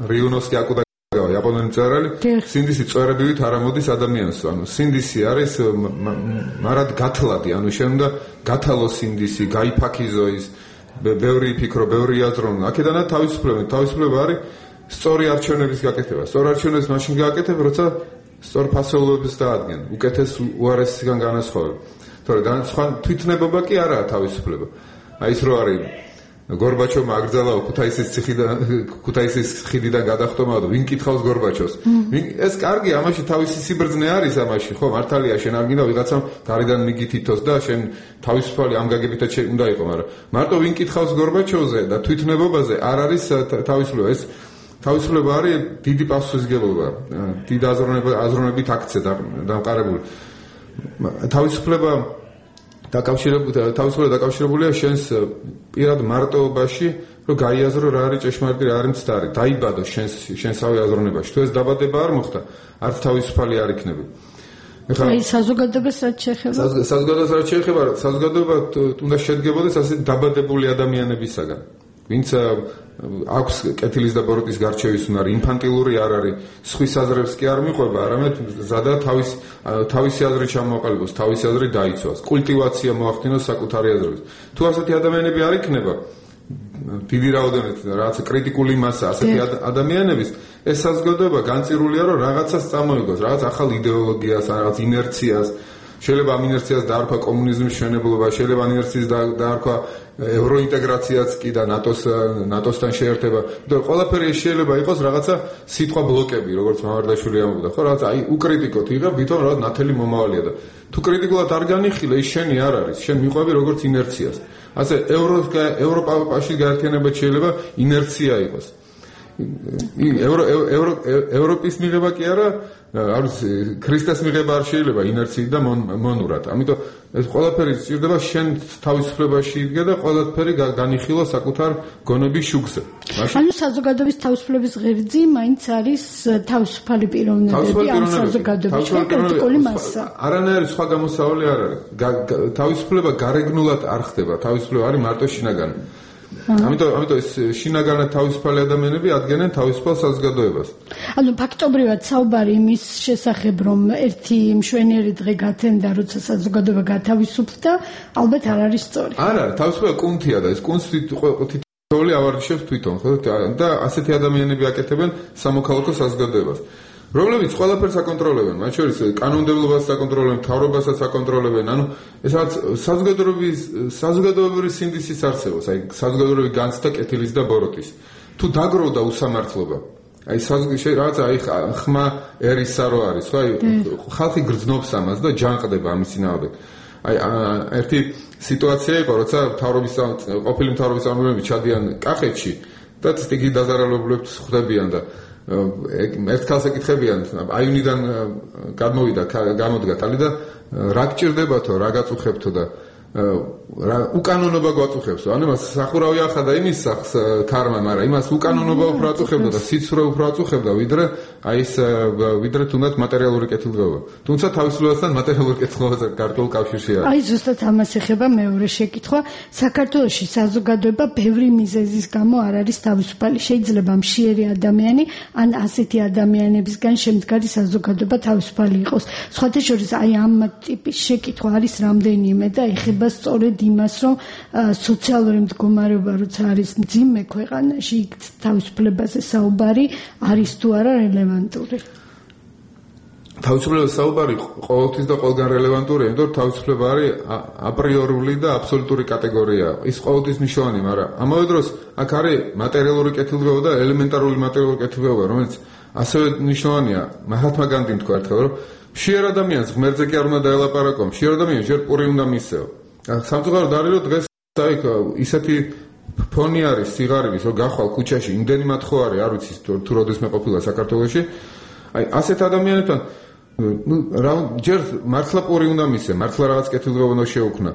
რიუნოსკი აკუდა იაპონელი მწერალი, სინდისი წვერებივით არ ამოდის ადამიანს. ანუ სინდისი არის მარად გათლადი, ანუ შენ უნდა გათალო სინდისი, გაიფაქიზო ის, ბევრი იფიქრო, ბევრი იაზრო. აქედანაც თავისუფლება არის სწორი არჩევნების გაკეთება. სწორი არჩევნებს მაშინ გააკეთებ, როცა სწორ ფასეულობებს დაადგენ, უკეთეს უარესისგან განასხვავებ. თორე სხვა თვითნებობა კი არაა თავისუფლება. აი ის რო არის გორბაჩოვმა აკრძალა ქუთაისის ხიდიდან გადახტომაა და ვინ კითხავს გორბაჩოვს? ეს კარგი, ამაში თავისი სიბრძნე არის ამაში, ხო, მართალია, შენ არ გინდა ვიღაცამ გარედან მიგითითოს და შენ თავისუფალი ამ გაგებითაც უნდა იყო, მაგრამ მარტო ვინ კითხავს გორბაჩოვზე და თვითნებობაზე არ არის თავისუფლება. ეს თავისუფლება არის დიდი პასუხისმგებლობა, დიდი აზროვნებით აქცია დამყარებული. თავისუფლება დაკავშირებულია შენს პირად მარტოობაში, რომ გაიაზრო რა არის ჭეშმარიტი, რა არის მცდარი. დაიბადო შენსავე აზროვნებაში. თუ ეს დაბადება არ მოხდა, არც თავისუფალი არ იქნები. აი საზოგადოებას რაც შეეხება? საზოგადოება უნდა შედგებოდეს ასე დაბადებული ადამიანებისაგან. ვინც აქვს კეთილის და ბოროტის გარჩევის უნარი, ინფანტილური არ არის, სხვის აზრებს კი არ მიყვება, არამედ ზადა თავისი აზრი ჩამოაყალიბოს, თავისი აზრი დაიცვას, კულტივაცია მოახდინოს საკუთარი აზრების. თუ ასეთი ადამიანები არ იქნება, დიდი რაოდენობით რაღაც კრიტიკული მასა ასეთი ადამიანების, ეს საზოგადოება განწირულია, რომ რაღაცას წამოიგოს, რაღაც ახალ იდეოლოგიას, რაღაც ინერციას. შეიძლება ამ ინერციას დაარქვა კომუნიზმის მშენებლობა, შეიძლება ამ ინერციას დაარქვა ევროინტეგრაციაც კი და ნატოსთან შეერთება. იმიტომ ყველაფერი შეიძლება იყოს რაღაცა სიტყვა ბლოკები, როგორც მამარდაშვილი ამბობდა, ხო, რაღაც აი უკრიტიკოთ იღებ, ვითომ რაღაც ნათელი მომავალია და თუ კრიტიკულად არ განიხილე, ის შენი არ არის, შენ მიყვები როგორც ინერციას. ასე ევროპაში გაერთიანება შეიძლება ინერცია იყოს. ევროპის მიღება კი არა, არის ქრისტეს მიღება არ შეიძლება ინერციით და მონურად. ამიტომ ეს ყველაფერი სჭირდება შენ თავისუფლებაში იდგე და ყველაფერი განიხილო საკუთარ გონების შუქზე. ანუ საზოგადოების თავისუფლების ღერძი მაინც არის თავისუფალი პიროვნებები ამ საზოგადოების კრიტიკული მასა. არანაირი სხვა გამოსავალი არ არის. თავისუფლება გარეგნულად არ ხდება, თავისუფლება არის მარტო შინაგანი. ამიტომ ეს შინაგანად თავისუფალი ადამიანები ადგენენ თავისუფალ საზოგადოებას. ანუ ფაქტობრივად საუბარი იმის შესახებ, რომ ერთი მშვენიერი დღე გათენდა, როცა საზოგადოება გათავისუფლდა, ალბათ არ არის სწორი. არა, თავისუფლება კუნთია და ეს კუნთს თითოეული ავარჯიშებს თვითონ, ხო? და ასეთი ადამიანები აკეთებენ სამოქალაქო საზოგადოებას. რომლებიც ყველაფერს აკონტროლებენ, მათ შორის კანონმდებლობას აკონტროლებენ, მთავრობასაც აკონტროლებენ. ანუ ეს რაც საზოგადოებრივი სინდისის არსებობს, აი საზოგადოებრივი განცდა კეთილის და ბოროტის. თუ დაგროვდა უსამართლობა, აი რაღაცა აი ხმა ერისა რო არის, ხო? აი ხალხი გრძნობს ამას და ჯანყდება ამის წინააღმდეგ. აი ერთი სიტუაცია იყო, როცა ყოფილი მთავრობის წარმომადგენლები ჩადიან კახეთში და სტიგი დაზარალებულებს ხვდებიან და ერთ ქალს ეკითხებიან, აივნიდან გამოდგა თალი და რა გჭირდებათო, რა გაწუხებთო და უკანონობა გვაწუხებსო. ანუ მას სახურავი ახადა იმის სახს ქარმა, მაგრამ იმას უკანონობა უფრო აწუხებდა და სიცრუე უფრო აწუხებდა, ვიდრე თუნდაც მატერიალური კეთილდღეობა. თუმცა თავისუფლებასთან მატერიალური კეთილდღეობა ქართულ კავშირში არის. აი ზუსტად ამას ეხება მეორე შეკითხვა. საქართველოში საზოგადოება ბევრი მიზეზის გამო არ არის თავისუფალი. შეიძლება მშიერი ადამიანი ან ასეთი ადამიანებისგან შემდგარი საზოგადოება თავისუფალი იყოს. სხვათა შორის აი ამ ტიპის შეკითხვა არის რამდენიმე და ეხება სწორედ იმას, რომ სოციალური მდგომარეობა როცა არის მძიმე ქვეყანაში, თავისუფლებაზე საუბარი არის თუ არა რელევანტური. თავისუფლებას საუბარი ყოველთვის და ყველგან რელევანტურია, იმიტომ რომ თავისუფლება არის აპრიორული და აბსოლუტური კატეგორია. ის ყოველთვის მნიშვნელოვანი, მაგრამ ამავე დროს აქ არის მატერიალური კეთილდღეობა და ელემენტარული მატერიალური კეთილდღეობა, რომელიც ასევე მნიშვნელოვანია. მაჰათმა განდიმ თქვა ერთხელ, რომ მშიერ ადამიანს ღმერთზე კი არ უნდა დაელაპარაკო, მშიერ ადამიანს ჯერ პური უნდა მისცეო. სამწუხაროდ არის, რომ დღეს აი ისეთი ფონი არის სიღარიბის, რომ გახვალ ქუჩაში, იმდენიმად ხო არის, არ ვიცი თუ როდესმე ყოფილა საქართველოში. აი ასეთ ადამიანებთან ჯერ მართლა პური უნდა მისცე, მართლა რაღაც კეთილდღეობა უნდა შეუქმნა.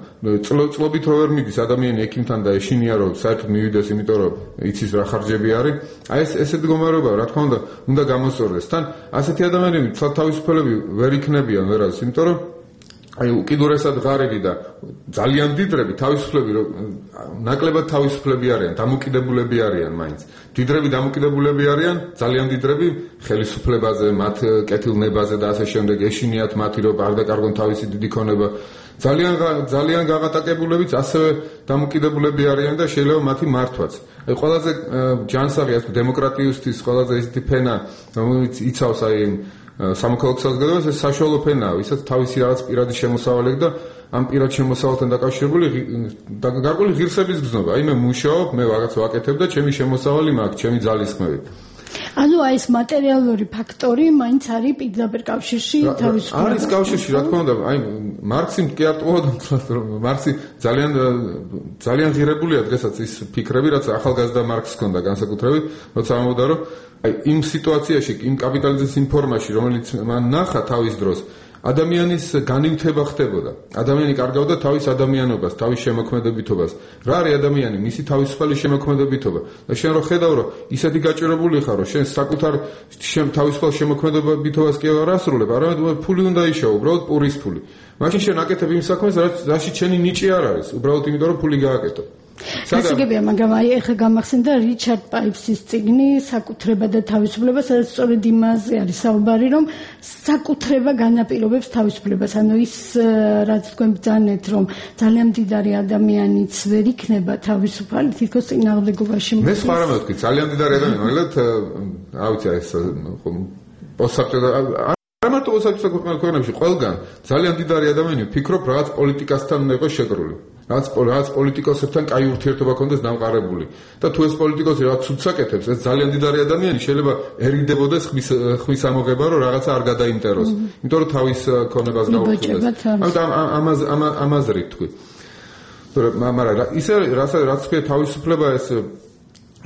წლობით რო ვერ მიდის ადამიანი ექიმთან და ეშინია რომ საერთოდ მივიდეს, იმიტომ რომ იცის რა ხარჯები არის. აი ესეთ მდგომარეობა, რა თქმა უნდა გამოსწორდეს. თან ასეთი ადამიანები თავისუფლები ვერ იქნებიან ვერას, იმიტომ რომ აი უკიდურესად ღარიბი და ძალიან დიდრები თავისუფლები ნაკლებად თავისუფლები არიან, დამოკიდებულები არიან მაინც. დიდრები დამოკიდებულები არიან, ძალიან დიდრები ხელისუფლებაზე, მათ კეთილნებაზე და ასე შემდეგ, ეშინიათ მათი რომ არ დაკარგონ თავისი დიდი ქონება. ძალიან გაღატაკებულებიც ასევე დამოკიდებულები არიან და შეიძლება მათი მართვაც. აი ყველაზე ჯანსაღი დემოკრატიისთვის ყველაზე ისეთი ფენა, რომელიც იცავს აი სამოქალაქო საზოგადოებას ეს საშუალო ფენაა, ვისაც თავისი რაღაც პირადი შემოსავალი და ამ პირად შემოსავალთან დაკავშირებული გარკვეული ღირსების გზნობა. აი მე მუშაობ, მე რაღაც ვაკეთებ და ჩემი შემოსავალი მაქვს, ჩემი ძალისხმევით. ანუ აი ეს მატერიალური ფაქტორი მაინც არის პირდაპირ კავშირში თავისუფლებას. არის კავშირში, რა თქმა უნდა, აი მარქსი კი არტყუა და მარქსი ძალიან ღირებულია დღესაც ის ფიქრები, რაც ახალგაზრდა მარქსს ჰქონდა განსაკუთრებით, როცა ამბობდა, რომ აი იმ სიტუაციაში, იმ კაპიტალიზმის იმ ფორმაში, რომელიც მან ნახა თავის დროს, ადამიანის განივთება ხდებოდა. ადამიანი კარგავდა თავის ადამიანობას, თავის შემოქმედებითობას. რა არის ადამიანი? მისი თავისუფალი შემოქმედებითობა. და შენ რო ხედავ, რომ ისეთი გაჭირებული ხარ, რომ შენ საკუთარ თავისუფალ შემოქმედებითობას კი არ ასრულებ, არამედ ფული უნდა იშოვო, უბრალოდ პურის ფული. მაშინ შენ აკეთებ იმ საქმეს, რაში შენი ნიჭი არ არის, უბრალოდ იმიტომ რომ ფული გააკეთო. გასაგებია, მაგრამ აი ეხლა გამახსენდა რიჩარდ პაიფსის წიგნი საკუთრება და თავისუფლება, სადაც სწორედ იმაზე არის საუბარი, რომ საკუთრება განაპირობებს თავისუფლებას. ანუ ის რაც თქვენ ბრძანეთ, რომ ძალიან მდიდარი ადამიანიც ვერ იქნება თავისუფალი, თითქოს წინააღმდეგობაში. მე სხვა რამე ვთქვი, ძალიან მდიდარი ადამიანი, მაგრამ რა ვიცი ეს პოსტსაბჭოთა არ მარტო პოსტსაბჭოთა ქვეყნებში, ყველგან ძალიან მდიდარი ადამიანი ფიქრობ რაღაც პოლიტიკასთან უნდა იყოს შეკრული. რაც პოლიტიკოსებთან კაი ურთიერთობა ქონდეს დამყარებული და თუ ეს პოლიტიკოსი რაღაც ცუდს აკეთებს, ეს ძალიან დიდარი ადამიანი შეიძლება ერიდებოდეს ხმის ამოღება, რომ რაღაცა არ გადაიმტეროს, იმიტომ რომ თავის ქონებას გაუხსნას. ამაზე რითქვი. მაგრამ ისე რაც ქვია თავისუფლება, ეს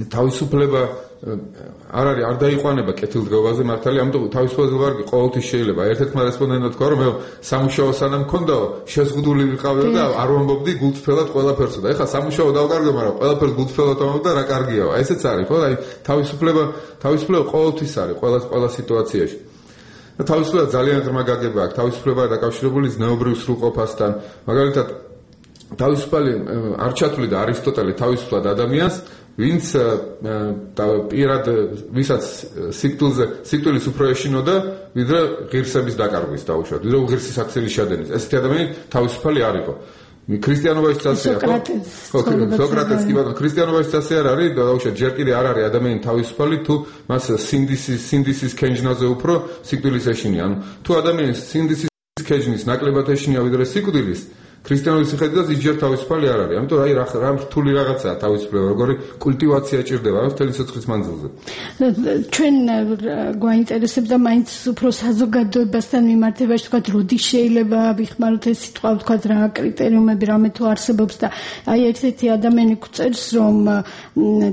თავისუფლება არ არის, არ დაიყვანება კეთილდღეობაზე მართალი, ამიტომ თავისუფლებას ვარგი ყოველთვის შეიძლება. ერთ-ერთმა რესპონდენტმა თქვა, რომ მე სამუშაო სანამ მქონდაო, შეზღუდული ვიყავდე და არ ვამბობდი გულწრფელად ყველაფერსო და ეხლა სამუშაო დავკარგე, მაგრამ ყველაფერს გულწრფელად ვამბობ და რა კარგიაო. აი ესეც არის, ხო? აი თავისუფლება ყოველთვის არის ყველა სიტუაციაში. და თავისუფლება ძალიან ღრმა გაგება აქვს. თავისუფლება დაკავშირებული ზნეობრივ სრულყოფასთან. მაგალითად, თავისუფალი არ ჩათვლიდა არისტოტელე თავისუფლად ადამიანს, ვინც პირად ვისაც სიკვდილის უფრო ეშინოდა, ვიდრე ღირსების დაკარგვის დაუშვათ, ვიდრე უღირსის აქცილის შადენის. ესეთი ადამიანი თავისუფალი არ იყო. ქრისტიანობაში წასია, ხო? სოკრატეს კი ბატონო, ქრისტიანობაში წასია არ არის, დაუშვათ, ჯერ კიდე არ არის ადამიანი თავისუფალი, თუ მას სინდისის ქენჯნაზე უფრო სიკვდილის ეშინია. ანუ თუ ადამიანს სინდისის ქენჯნის ნაკლებად ეშინია ვიდრე სიკვდილის, ქრისტიანული მიხედვით ის ჯერ თავისუფალი არ არის. ამიტომ აი რა რთული რაღაცაა თავისუფლება, როგორი კულტივაცია ჭირდება რა მთელი სიცხის მანძილზე. ჩვენ გვაინტერესებდა მაინც უფრო საზოგადოებასთან მიმართებაში, თქვა როდი შეიძლება ვიხმაროთ ეს სიტყვა, თქვა რა კრიტერიუმები რამე თუ არსებობს და აი ერთ-ერთი ადამიანი გვწერს, რომ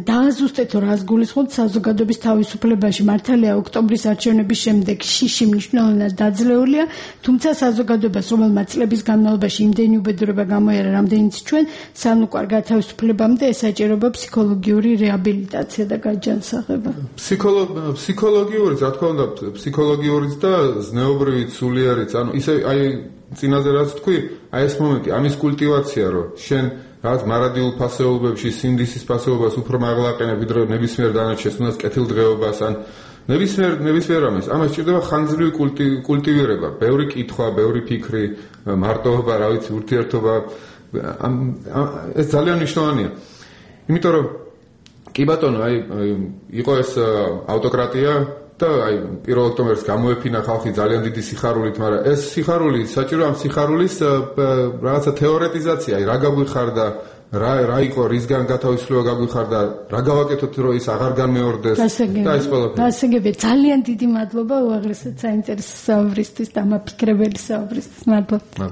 დააზუსტეთ რას გულისხმობთ საზოგადოების თავისუფლებაში. მართალია ოქტომბრის არჩევნების შემდეგ შიში მნიშვნელოვნად დაძლეულია, თუმცა საზოგადოებას რომელმაც წლების განმავლობაში იმდენი უბედურება გამოიარა რამდენიც ჩვენ სანუკვარ გათავისუფლებამდე ესაჭიროება ფსიქოლოგიური რეაბილიტაცია და გაჯანსაღება. ფსიქოლოგიურიც, რა თქმა უნდა, ფსიქოლოგიურიც და ზნეობრივიც, სულიერიც, ანუ ისე აი წინაზე რაც თქვი, აი ეს მომენტი, ამის კულტივაცია, რომ შენ რაღაც მარადიულ ფასეულობებში სინდისის ფასეულობას უფრო მაღლა აყენებ, ვიდრე ნებისმიერ დანარჩენს, თუნდაც კეთილდღეობას ან ნებისმიერ ამას ჭირდება ხანგრძლივი კულტივირება, ბევრი კითხვა, ბევრი ფიქრი, მარტოობა, რა ვიცი, ურთიერთობა. ეს ძალიან მნიშვნელოვანია. იმიტომ რომ კი ბატონო, აი იყო ეს ავტოკრატია და აი 1 ოქტომბერს გამოეფინა ხალხი ძალიან დიდი სიხარულით, მაგრამ ეს სიხარული საჭირო ამ სიხარულის რაღაცა თეორეტიზაცია, აი რა გაგვიხარდა, რა იყო, რისგან გათავისუფლება გაგვიხარდა, რა გავაკეთოთ, რომ ის აღარ განმეორდეს და ეს ყველაფერი. გასაგებია, ძალიან დიდი მადლობა უაღრესად საინტერესო საუბრისთვის და ამაფიქრებელი საუბრისთვის. მადლობა.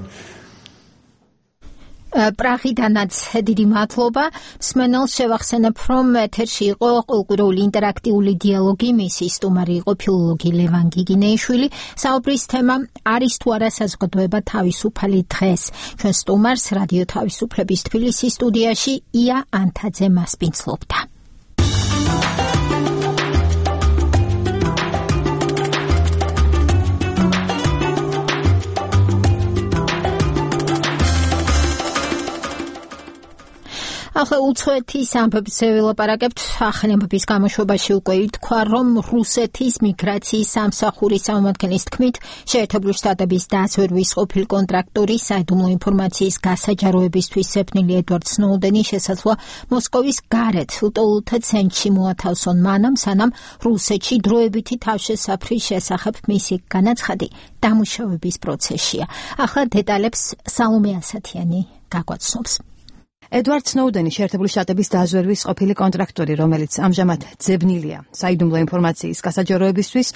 პრაღიდანაც დიდი მადლობა. მსმენელს შევახსენებ, რომ ეთერში იყო კულტურული ინტერაქტიული დიალოგი, მისი სტუმარი იყო ფილოლოგი ლევან გიგინეიშვილი. საუბრის თემა არის თუ არა საზოგადოება თავისუფალი დღეს. ჩვენ სტუმარს რადიო თავისუფლების თბილისის სტუდიაში ია ანთაძე მასპინძლობდა. ახლა უცხოეთის ამბებზე ვილაპარაკებთ. ახალი ამბების გამოშვებაში უკვე ითქვა, რომ რუსეთის მიგრაციის სამსახურის წარმომადგენლის თქმით, შეერთებული შტატების დაზვერვის ყოფილი კონტრაქტორი საიდუმლო ინფორმაციის გასაჯაროებისთვის ზეფნილი ედვარდ სნოუდენი შესაძლოა მოსკოვის გარეთ ლტოლთა ცენტრში მოათავსონ მანამ, სანამ რუსეთში დროებითი თავშესაფრის შესახებ მისი განაცხადი დამუშავების პროცესშია. ახლა დეტალებს სალომე ასათიანი გაგვაცნობს. ედვარდ სნოუდენი შეერთებული შტატების დაზვერვის ყოფილი კონტრაქტორი, რომელიც ამჟამად ძებნილია საიდუმლო ინფორმაციის გასაჯაროებისთვის,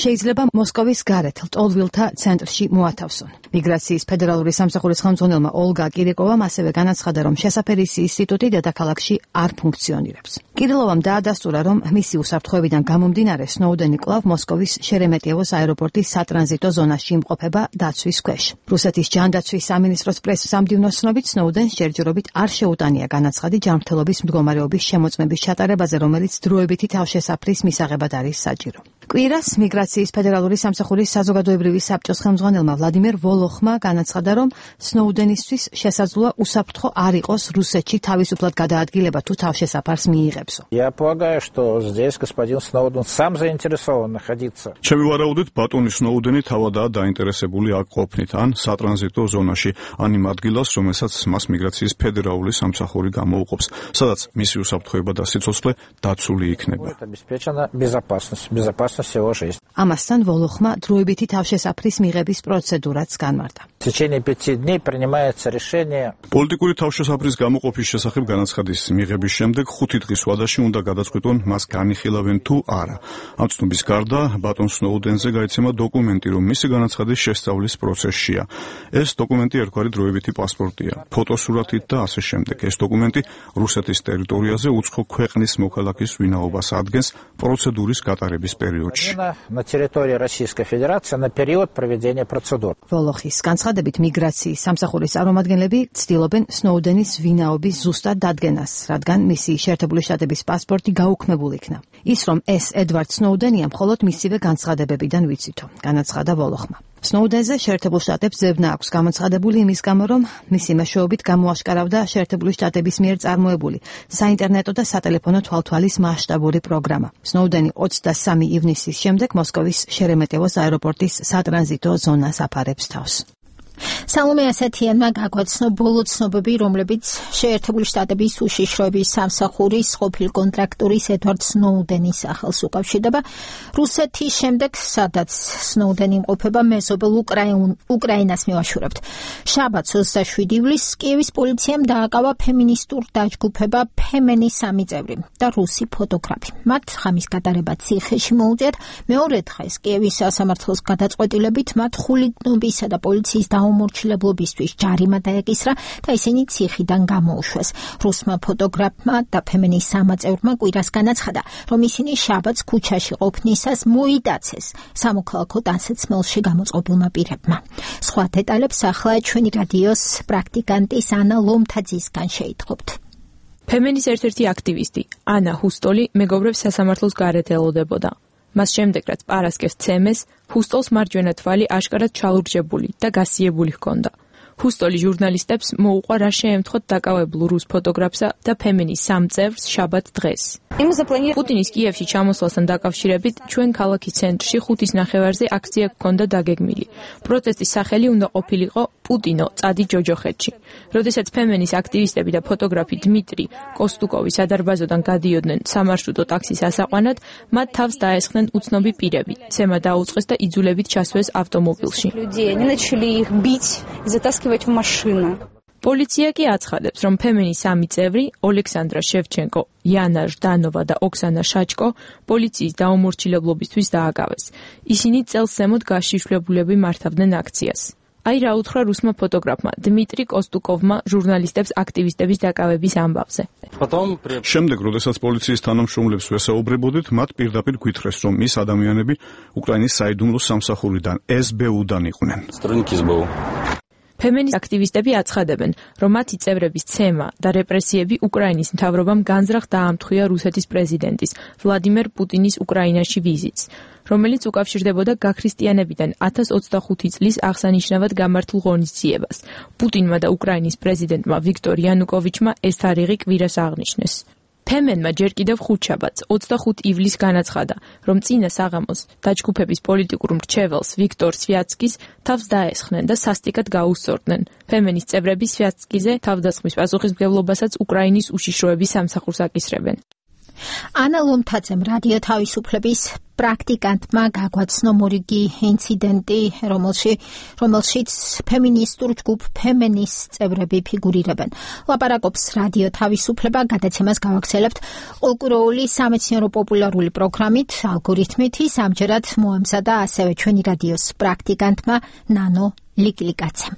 შეიძლება მოსკოვის გარეთ ლტოლვილთა ცენტრში მოათავსონ. მიგრაციის ფედერალური სამსახურის ხელმძღვანელმა ოლგა კირიკოვამ ასევე განაცხადა, რომ შესაფერისი ინსტიტუტი დედაქალაქში არ ფუნქციონირებს. კირილოვამ დაადასტურა, რომ მისი უსაფრთხოებიდან გამომდინარე სნოუდენი კვლავ მოსკოვის შერემეტიევოს აეროპორტის სატრანზიტო ზონაში იმყოფება დაცვის ქვეშ. რუსეთის ჯანდაცვის სამინისტროს პრესის სამდივნოს ცნობით, სნოუდენს ჯერჯერობით არ შეუტანია განაცხადი ჯანმრთელობის მდგომარეობის შემოწმების ჩატარებაზე, რომელიც დროებითი თავშესაფრის მისაღებად არის საჭირო. კვირას მიგრაციის ფედერალური სამსახურის საზოგადოებრივი საბჭოს ხელმძღვანელმა ვლადიმერ ვოლოხმა განაცხადა, რომ სნოუდენისთვის შესაძლოა უსაფრთხო არ იყოს რუსეთში თავისუფლად გადაადგილება თუ თავშესაფარს მიიღებსო. Я полагаю, что здесь господин Сноуден сам заинтересован находиться. ჩემი ვარაუდით, ბატონი სნოუდენი თავადაა დაინტერესებული აქ ყოფნით, ან სატრანზიტო ზონაში, ან იმ ადგილას, რომელსაც მას მიგრაციის ფედერალური სამსახური გამოუყოფს, სადაც მისი უსაფრთხოება და სიცოცხლე დაცული იქნება. Обеспечена безопасность всего жизни. ამასთან ვოლოხმა დროებითი თავშესაფრის მიღების პროცედურაც განმარტა. В течение 5 дней принимается решение. პოლიტიკური თავშესაფრის გამოყოფის შესახებ განაცხადის მიღების შემდეგ 5 დღის ვადაში უნდა გადაწყვიტონ, მას განიხილავენ თუ არა. ამ ცნობის გარდა, ბატონ სნოუდენზე გაიცემა დოკუმენტი, რომ მისი განაცხადის შესწავლის პროცესშია. ეს დოკუმენტი ერთგვარი დროებითი პასპორტია, ფოტოსურათით და ასე შემდეგ. ეს დოკუმენტი რუსეთის ტერიტორიაზე უცხო ქვეყნის მოქალაქის ვინაობას ადგენს პროცედურის გატარების პერიოდში. На территории Российской Федерации на период проведения процедур. ვოლოხის განცხადებით მიგრაციის სამსახურის წარმომადგენლები ცდილობენ სნოუდენის ვინაობის ზუსტად დადგენას, რადგან მისი შეერთებული შტატების პასპორტი გაუქმებულ იქნა. ის რომ ეს ედვარდ სნოუდენია, მხოლოდ მისივე განცხადებებიდან ვიცითო, განაცხადა ვოლოხმა. სნოუდენზე შეერთებულ შტატებს ზებნა აქვს გამოცხადებული იმის გამო, რომ მისი მეშვეობით გამოაშკარავდა შეერთებული შტატების მიერ წარმოებული საინტერნეტო და სატელეფონო თვალთვალის მასშტაბური პროგრამა. სნოუდენი 23 ივნისის შემდეგ მოსკოვის შერემეტიევოს აეროპორტის სატრანზიტო ზონას აფარებს თავს. სალომე ასათიანმა გაგვაცნო ბოლო ცნობები, რომლებიც შეერთებული შტატების უშიშროების სამსახურის ყოფილი კონტრაქტორის ედვარდ სნოუდენის სახელს უკავშირდება. რუსეთის შემდეგ, სადაც სნოუდენი იმყოფება, მეზობელ უკრაინას მივაშურებთ. შაბათს 27 ივლისს კიევის პოლიციამ დააკავა ფემინისტურ დაჯგუფება ფემენის 3 წევრი და რუსი ფოტოგრაფი. მათ ღამის გატარება ციხეში მოუწიათ. მეორე დღეს კიევის სასამართლოს გადაწყვეტილებით მათ ხულიგნობისა და პოლიციის უმორჩილებლობისთვის ჯარიმა დაეკისრა და ისინი ციხიდან გამოუშვეს. რუსმა ფოტოგრაფმა და ფემენის 3 წევრმა კვირას განაცხადა, რომ ისინი შაბათს ქუჩაში ყოფნისას მოიტაცეს სამოქალაქო ტანსაცმელში გამოწყობილმა პირებმა. სხვა დეტალებს ახლა ჩვენი რადიოს პრაქტიკანტის ანა ლომთაძისგან შეითხოვთ. ფემენის ერთ-ერთი აქტივისტი ანა ჰუსტოლი მეგობრებს სასამართლოს გარეთ ელოდებოდა. მას შემდეგ, რაც პარასკევს ცემეს, ჰუსტოლს მარჯვენა თვალი აშკარად ჩალურჯებული და გასიებული ჰქონდა. ჰუსტოლი ჟურნალისტებს მოუყვა რა შეემთხოთ დაკავებულ რუს ფოტოგრაფსა და ფემენის 3 წევრს შაბათ დღეს. პუტინის კიევში ჩამოსვლასთან დაკავშირებით ჩვენ ქალაქის ცენტრში 5-ის ნახევარზე აქცია გქონდა დაგეგმილი. პროტესტის სახელი უნდა ყოფილიყო პუტინო, წადი ჯოჯოხეთში. როდესაც ფემენის აქტივისტები და ფოტოგრაფი დმიტრი კოსტუკოვი სადარბაზოდან გადიოდნენ სამარშრუტო ტაქსის ასაყვანად, მათ თავს დაესხნენ უცნობი პირები. ცემა დაუწყეს და იძულებით ჩასვეს ავტომობილში. პოლიცია კი აცხადებს, რომ ფემენის 3 წევრი, ოლექსანდრა შევჩენკო, იანა ჟდანოვა და ოქსანა შაჩკო პოლიციის დაუმორჩილებლობისთვის დააკავეს. ისინი წელს ზემოთ გაშიშვლებულები მართავდნენ აქციას. აი რა უთხრა რუსმა ფოტოგრაფმა დმიტრი კოსტუკოვმა ჟურნალისტებს აქტივისტების დაკავების ამბავზე. შემდეგ, როდესაც პოლიციის თანამშრომლებს ვესაუბრებოდით, მათ პირდაპირ გვითხრეს, რომ ის ადამიანები უკრაინის საიდუმლო სამსახურიდან SBU-დან იყვნენ. ფემინის აქტივისტები აცხადებენ, რომ მათი წევრების ცემა და რეპრესიები უკრაინის მთავრობამ განზრახ დაამთხვია რუსეთის პრეზიდენტის ვლადიმერ პუტინის უკრაინაში ვიზიტს, რომელიც უკავშირდებოდა გაქრისტიანებიდან 1025 წლის აღსანიშნავად გამართულ ღონისძიებას. პუტინმა და უკრაინის პრეზიდენტმა ვიქტორ იანუკოვიჩმა ეს თარიღი კვირას აღნიშნეს. ფემენმა ჯერ კიდევ ხუთშაბათს 25 ივლისს განაცხადა, რომ წინა საღამოს დაჯგუფების პოლიტიკურ მრჩეველს ვიქტორ სვიატსკის თავს დაესხნენ და სასტიკად გაუსწორდნენ. ფემენის წევრები სვიატსკიზე თავდასხმის პასუხისმგებლობასაც უკრაინის უშიშროების სამსახურს აკისრებენ. ანა ლომთაძემ რადიო თავისუფლების პრაქტიკანტმა გაგვაცნო მორიგი ინციდენტი, რომელშიც ფემინისტურ ჯგუფ ფემენის წევრები ფიგურირებენ. ლაპარაკობს რადიო თავისუფლება, გადაცემას გავაგრძელებთ ყოლკუროული სამეცნიერო პოპულარული პროგრამით, ალგორითმით, ამჯერად მოამზადა ასევე ჩვენი რადიოს პრაქტიკანტმა ნანო ლიკლიკაცემ.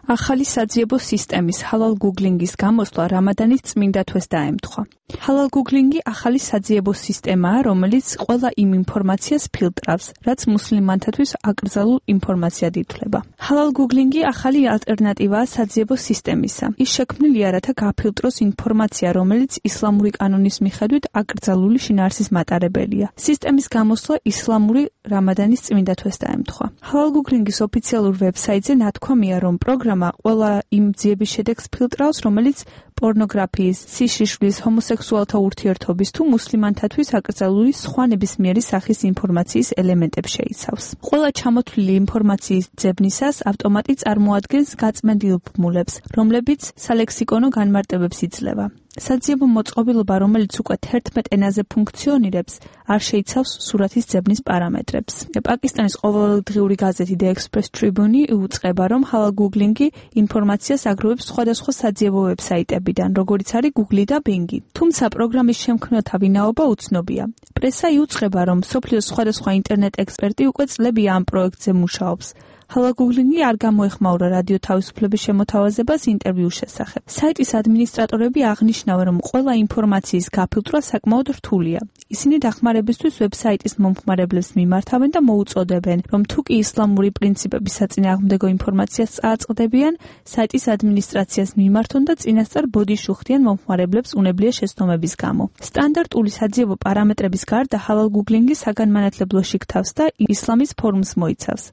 ახალი საძიებო სისტემის ჰალალ გუგლინგის გამოსვლა რამადანის წმინდა თვეს დაემთხვა. ჰალალ გუგლინგი ახალი საძიებო სისტემაა, რომელიც ყველა იმ ინფორმაციას ფილტრავს, რაც მუსლიმანთათვის აკრძალულ ინფორმაციად ითვლება. ჰალალ გუგლინგი ახალი ალტერნატივაა საძიებო სისტემისა. ის შექმნილია, რათა გაფილტროს ინფორმაცია, რომელიც ისლამური კანონის მიხედვით აკრძალული შინაარსის მატარებელია. სისტემის გამოსვლა ისლამური რამადანის წმინდა თვეს დაემთხვა. ჰალალ გუგლინგის ოფიციალურ ვებსაიტზე ნათქვამია, რომ პროგრამა ყველა იმ ძიების შედეგს ფილტრავს, რომელიც პორნოგრაფიის, სიშიშვლის, ჰომოსექსუალთა ურთიერთობის თუ მუსლიმანთათვის აკრძალული სხვა ნებისმიერი სახის ინფორმაციის ელემენტებს შეიცავს. ყველა ჩამოთვლილი ინფორმაციის ძებნისას ავტომატი წარმოადგენს გაწმენდილ ბმულებს, რომლებიც სალექსიკონო განმარტებებს იძლევა. საძიებო მოწყობილობა, რომელიც უკვე 11 ენაზე ფუნქციონირებს, არ შეიცავს სურათის ძებნის პარამეტრებს. პაკისტანის ყოველდღიური გაზეთი The Express Tribune უწყება, რომ ჰალალ გუგლინგი ინფორმაციას აგროვებს სხვადასხვა საძიებო ვებსაიტებიდან, როგორიც არის Google და Bing. თუმცა პროგრამის შემქმნელთა ვინაობა უცნობია. პრესა იუწყება, რომ მსოფლიოს სხვადასხვა ინტერნეტ ექსპერტი უკვე წლებია ამ პროექტზე მუშაობს. ჰალალ გუგლინგი არ გამოეხმაურა რადიო თავისუფლების შემოთავაზებას ინტერვიუს შესახებ. საიტის ადმინისტრატორები აღნიშნავენ, რომ ყველა ინფორმაციის გაფილტრვა საკმაოდ რთულია. ისინი დახმარებისთვის ვებსაიტის მომხმარებლებს მიმართავენ და მოუწოდებენ, რომ თუკი ისლამური პრინციპების საწინააღმდეგო ინფორმაციას წააწყდებიან, საიტის ადმინისტრაციას მიმართონ და წინასწარ ბოდიშ უხდიან მომხმარებლებს უნებლიე შეცდომების გამო. სტანდარტული საძიებო პარამეტრების გარდა ჰალალ გუგლინგი საგანმანათლებლო შიგთავს და ისლამის ფორუმს მოიცავს.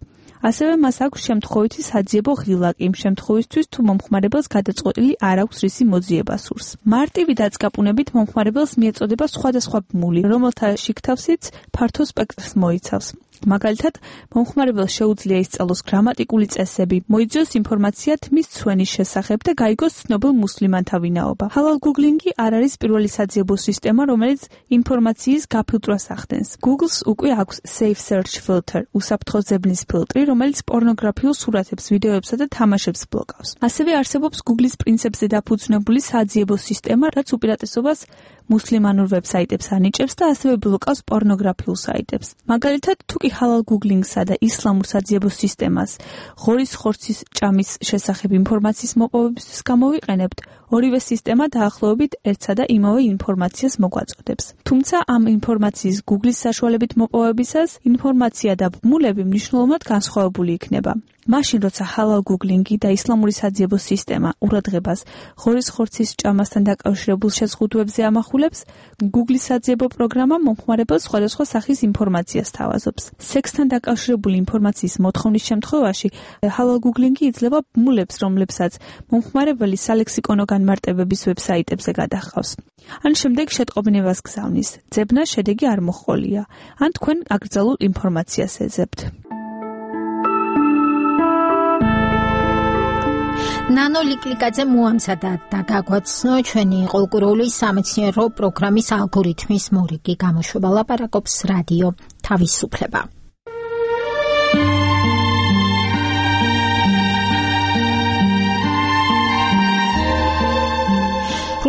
ასევე მას აქვს შემთხვევითი საძიებო ღილაკი იმ შემთხვევისთვის, თუ მომხმარებელს გადაწყვეტილი არ აქვს რისი მოძიება სურს. მარტივი დაწყაპუნებით მომხმარებელს მიეწოდება სხვადასხვა ბმული, რომელთა შიგთავსიც ფართო სპექტრს მოიცავს. მაგალითად, მომხმარებელს შეუძლია ისწავლოს გრამატიკული წესები, მოიძიოს ინფორმაცია თმის ცვენის შესახებ და გაიგოს ცნობილ მუსლიმანთა ვინაობა. ჰალალ გუგლინგი არ არის პირველი საძიებო სისტემა, რომელიც ინფორმაციის გაფილტრვას ახდენს. Google-ს უკვე აქვს Safe Search Filter, უსაფრთხო ძებნის ფილტრი, რომელიც პორნოგრაფიულ სურათებს, ვიდეოებსა და თამაშებს ბლოკავს. ასევე არსებობს Google-ის პრინციპებზე დაფუძნებული საძიებო სისტემა, რაც უპირატესობას მუსლიმანურ ვებსაიტებს ანიჭებს და ასევე ბლოკავს პორნოგრაფიულ საიტებს. მაგალითად, თუკი ჰალალ გუგლინგსა და ისლამურ საძიებო სისტემას ღორის ხორცის ჭამის შესახებ ინფორმაციის მოპოვებისთვის გამოვიყენებთ, ორივე სისტემა დაახლოებით ერთსა და იმავე ინფორმაციას მოგვაწოდებს. თუმცა ამ ინფორმაციის Google-ის საშუალებით მოპოვებისას ინფორმაცია და ბმულები მნიშვნელოვნად განსხვავებული იქნება. მაშინ, როცა ჰალალ გუგლინგი და ისლამური საძიებო სისტემა ყურადღებას ღორის ხორცის ჭამასთან დაკავშირებულ შეზღუდვებზე ამახვილებს, Google-ის საძიებო პროგრამა მომხმარებელს სხვადასხვა სახის ინფორმაციას თავაზობს. სექსთან დაკავშირებული ინფორმაციის მოთხოვნის შემთხვევაში ჰალალ გუგლინგი იძლევა ბმულებს, რომლებსაც მომხმარებელი სალექსიკონო განმარტებების ვებსაიტებზე გადაჰყავს. ან შემდეგ შეტყობინებას გზავნის. ძებნას შედეგი არ მოჰყოლია. ან თქვენ აკრძალულ ინფორმაციას ეძებთ. ნანო ლიკლიკაძე მოამზადა და გაგვაცნო ჩვენი ყოლკუროული სამეცნიერო პროგრამის ალგორითმის მორიგი გამოშვება. ლაპარაკობს რადიო თავისუფლება.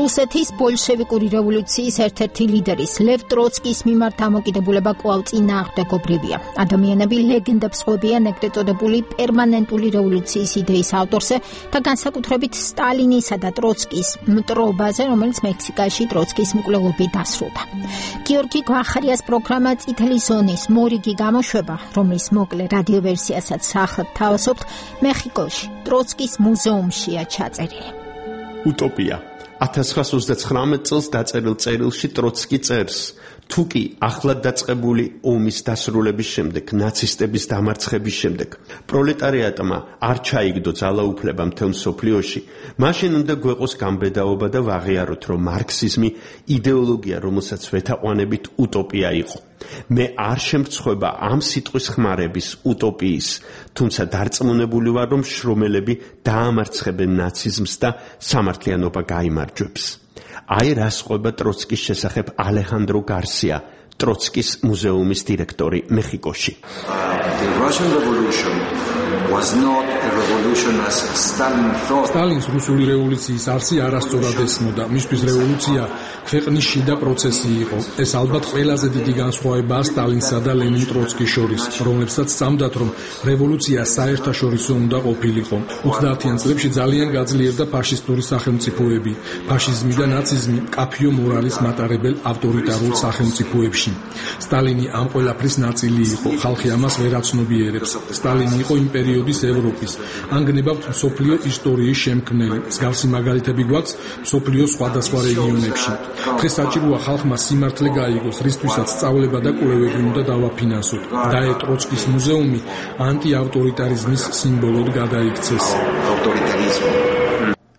რუსეთის ბოლშევიკური რევოლუციის ერთ-ერთი ლიდერის ლევ ტროცკის მიმართ დამოკიდებულება კვლავ წინააღმდეგობრივია. ადამიანები ლეგენდებს ყვებიან ეგრეთ წოდებული პერმანენტული რევოლუციის იდეის ავტორზე და განსაკუთრებით სტალინისა და ტროცკის მტრობაზე, რომელიც მექსიკაში ტროცკის მკვლელობით დასრულდა. გიორგი გვახარიას პროგრამა წითელი ზონის მორიგი გამოშვება, რომლის მოკლე რადიოვერსიასაც ახლად თავაზობთ, მეხიკოში ტროცკის მუზეუმშია ჩაწერილი. უტოპია 1939 წელს დაწერილ წერილში ტროცკი წერს: თუ კი ახლად დაწყებული ომის დასრულების შემდეგ, ნაცისტების დამარცხების შემდეგ, პროლეტარიატმა არ ჩაიგდო ძალაუფლება მთელ მსოფლიოში, მაშინ უნდა გვეყოს გამბედაობა და ვაღიაროთ, რომ მარქსიზმი იდეოლოგია, რომელსაც ვეთაყვანებით, უტოპია იყო. მე არ შემრცხვება ამ სიტყვის ხმარების უტოპიის, თუმცა დარწმუნებული ვარ, რომ შრომელები დაამარცხებენ ნაციზმს და სამართლიანობა გაიმარჯვებს. აი რას ყვება ტროცკის შესახებ ალეხანდრო გარსია, ტროცკის მუზეუმის დირექტორი მეხიკოში. სტალინს რუსული რევოლუციის არსი არასწორად ესმოდა. მისთვის რევოლუცია ქვეყნის შიდა პროცესი იყო. ეს ალბათ ყველაზე დიდი განსხვავებაა სტალინსა და ლენინ ტროცკის შორის, რომლებსაც სწამდათ, რომ რევოლუცია საერთაშორისო უნდა ყოფილიყო. 30-იან წლებში ძალიან გაძლიერდა ფაშისტური სახელმწიფოები. ფაშიზმი და ნაციზმი მკაფიო მორალის მატარებელ ავტორიტარულ სახელმწიფოებში. სტალინი ამ ყველაფრის ნაწილი იყო. ხალხი ამას ვერ აცნობიერებს. სტალინი იყო იმ პერიოდის ევროპის. ან გნებავთ მსოფლიო ისტორიის შემქმნელი. მსგავსი მაგალითები გვაქვს მსოფლიოს სხვადასხვა რეგიონებში. დღეს საჭიროა ხალხმა სიმართლე გაიგოს, რისთვისაც სწავლება და კვლევები უნდა დავაფინანსოთ. დაე ტროცკის მუზეუმი ანტიავტორიტარიზმის სიმბოლოდ გადაიქცეს.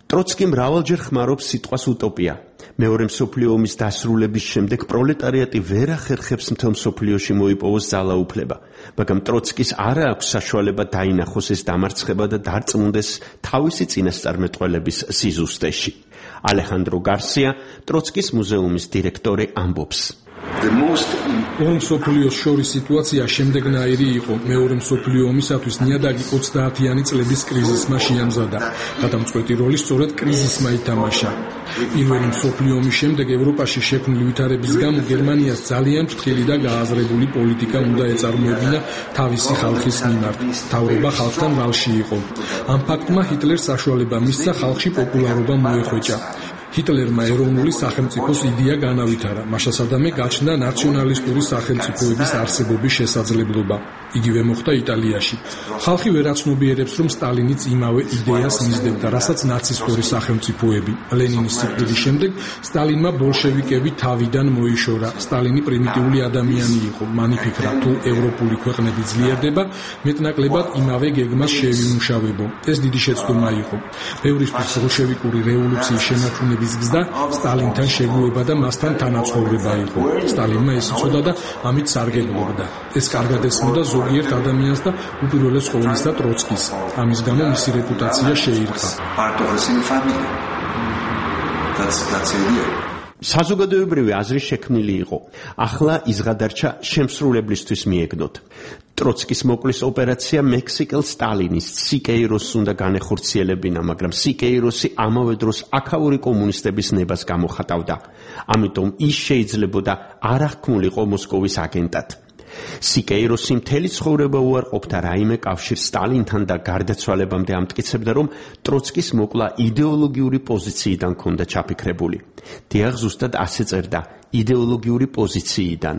ტროცკი მრავალჯერ ხმარობს სიტყვას უტოპია. მეორე მსოფლიო ომის დასრულების შემდეგ პროლეტარიატი ვერ ახერხებს მთელ მსოფლიოში მოიპოვოს ძალაუფლება, მაგრამ ტროცკის არ აქვს საშუალება დაინახოს ეს დამარცხება და დარწმუნდეს თავისი წინასწარმეტყველების სიზუსტეში. ალეხანდრო გარსია, ტროცკის მუზეუმის დირექტორი, ამბობს: ორ მსოფლიოს შორის სიტუაცია შემდეგნაირი იყო. მეორე მსოფლიო ომისათვის ნიადაგი 30-იანი წლების კრიზისმა შეამზადა. გადამწყვეტი როლი სწორედ კრიზისმა ითამაშა. პირველი მსოფლიო ომის შემდეგ ევროპაში შექმნილი ვითარების გამო გერმანიას ძალიან ფრთხილი და გააზრებული პოლიტიკა უნდა ეწარმოებინა თავისი ხალხის მიმართ. მთავრობა ხალხთან ვალში იყო. ამ ფაქტმა ჰიტლერს საშუალება მისცა ხალხში პოპულარობა მოეხვეჭა. ჰიტლერმა ეროვნული სახელმწიფოს იდეა განავითარა. მაშასადამე გაჩნდა ნაციონალისტური სახელმწიფოების არსებობის შესაძლებლობა. იგივე მოხდა იტალიაში. ხალხი ვერ აცნობიერებს, რომ სტალინიც იმავე იდეას მისდევდა, რასაც ნაცისტური სახელმწიფოები. ლენინის სიკვდილის შემდეგ სტალინმა ბოლშევიკები თავიდან მოიშორა. სტალინი პრიმიტიული ადამიანი იყო. მან იფიქრა, თუ ევროპული ქვეყნები ძლიერდება, მეტნაკლებად იმავე გეგმას შევიმუშავებო. ეს დიდი შეცდომა იყო. ბევრისთვის ბოლშევიკური რევოლუციის შემოქმედების გზა სტალინთან შეგუება და მასთან თანაცხოვრება იყო. სტალინმა ეს იცოდა და ამით სარგებლობდა. ეს კარგად ესმოდა ზოგიერთ ადამიანს და უპირველეს ყოვლისა ტროცკის. ამის გამო მისი რეპუტაცია შეირყა. საზოგადოებრივი აზრი შექმნილი იყო. ახლა ის გადარჩა შემსრულებლისთვის მიეგნოთ. ტროცკის მოკლის ოპერაცია მექსიკელ სტალინის სიკეიროსს უნდა განეხორციელებინა, მაგრამ სიკეიროსი ამავე დროს აქაური კომუნისტების ნებას გამოხატავდა. ამიტომ ის შეიძლებოდა არ აღქმულიყო მოსკოვის აგენტად. სიკეიროსი მთელი ცხოვრება უარყოფდა რაიმე კავშირს სტალინთან და გარდაცვალებამდე ამტკიცებდა, რომ ტროცკის მოკლა იდეოლოგიური პოზიციიდან ჰქონდა ჩაფიქრებული. დიახ, ზუსტად ასე წერდა, იდეოლოგიური პოზიციიდან.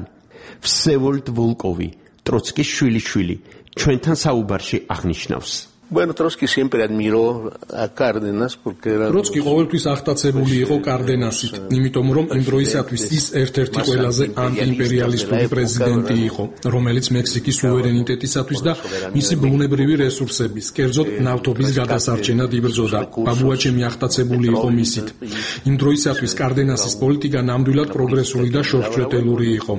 ვსევოლდ ვოლკოვი, ტროცკის შვილიშვილი, ჩვენთან საუბარში აღნიშნავს. Bueno, Trotsky siempre admiró a Cárdenas porque era ტროცკი ყოველთვის აღტაცებული იყო კარდენასით, იმიტომ რომ იმ დროისათვის ის ერთ-ერთი ყველაზე ანტიიმპერიალისტური პრეზიდენტი იყო, რომელიც მექსიკის სუვერენიტეტისათვის და მისი ბუნებრივი რესურსების, კერძოდ ნავთობის გადასარჩენად იბრძოდა. ბაბუაჩემი აღტაცებული იყო მისით. იმ დროისათვის კარდენასის პოლიტიკა ნამდვილად პროგრესული და შორჩეტელური იყო.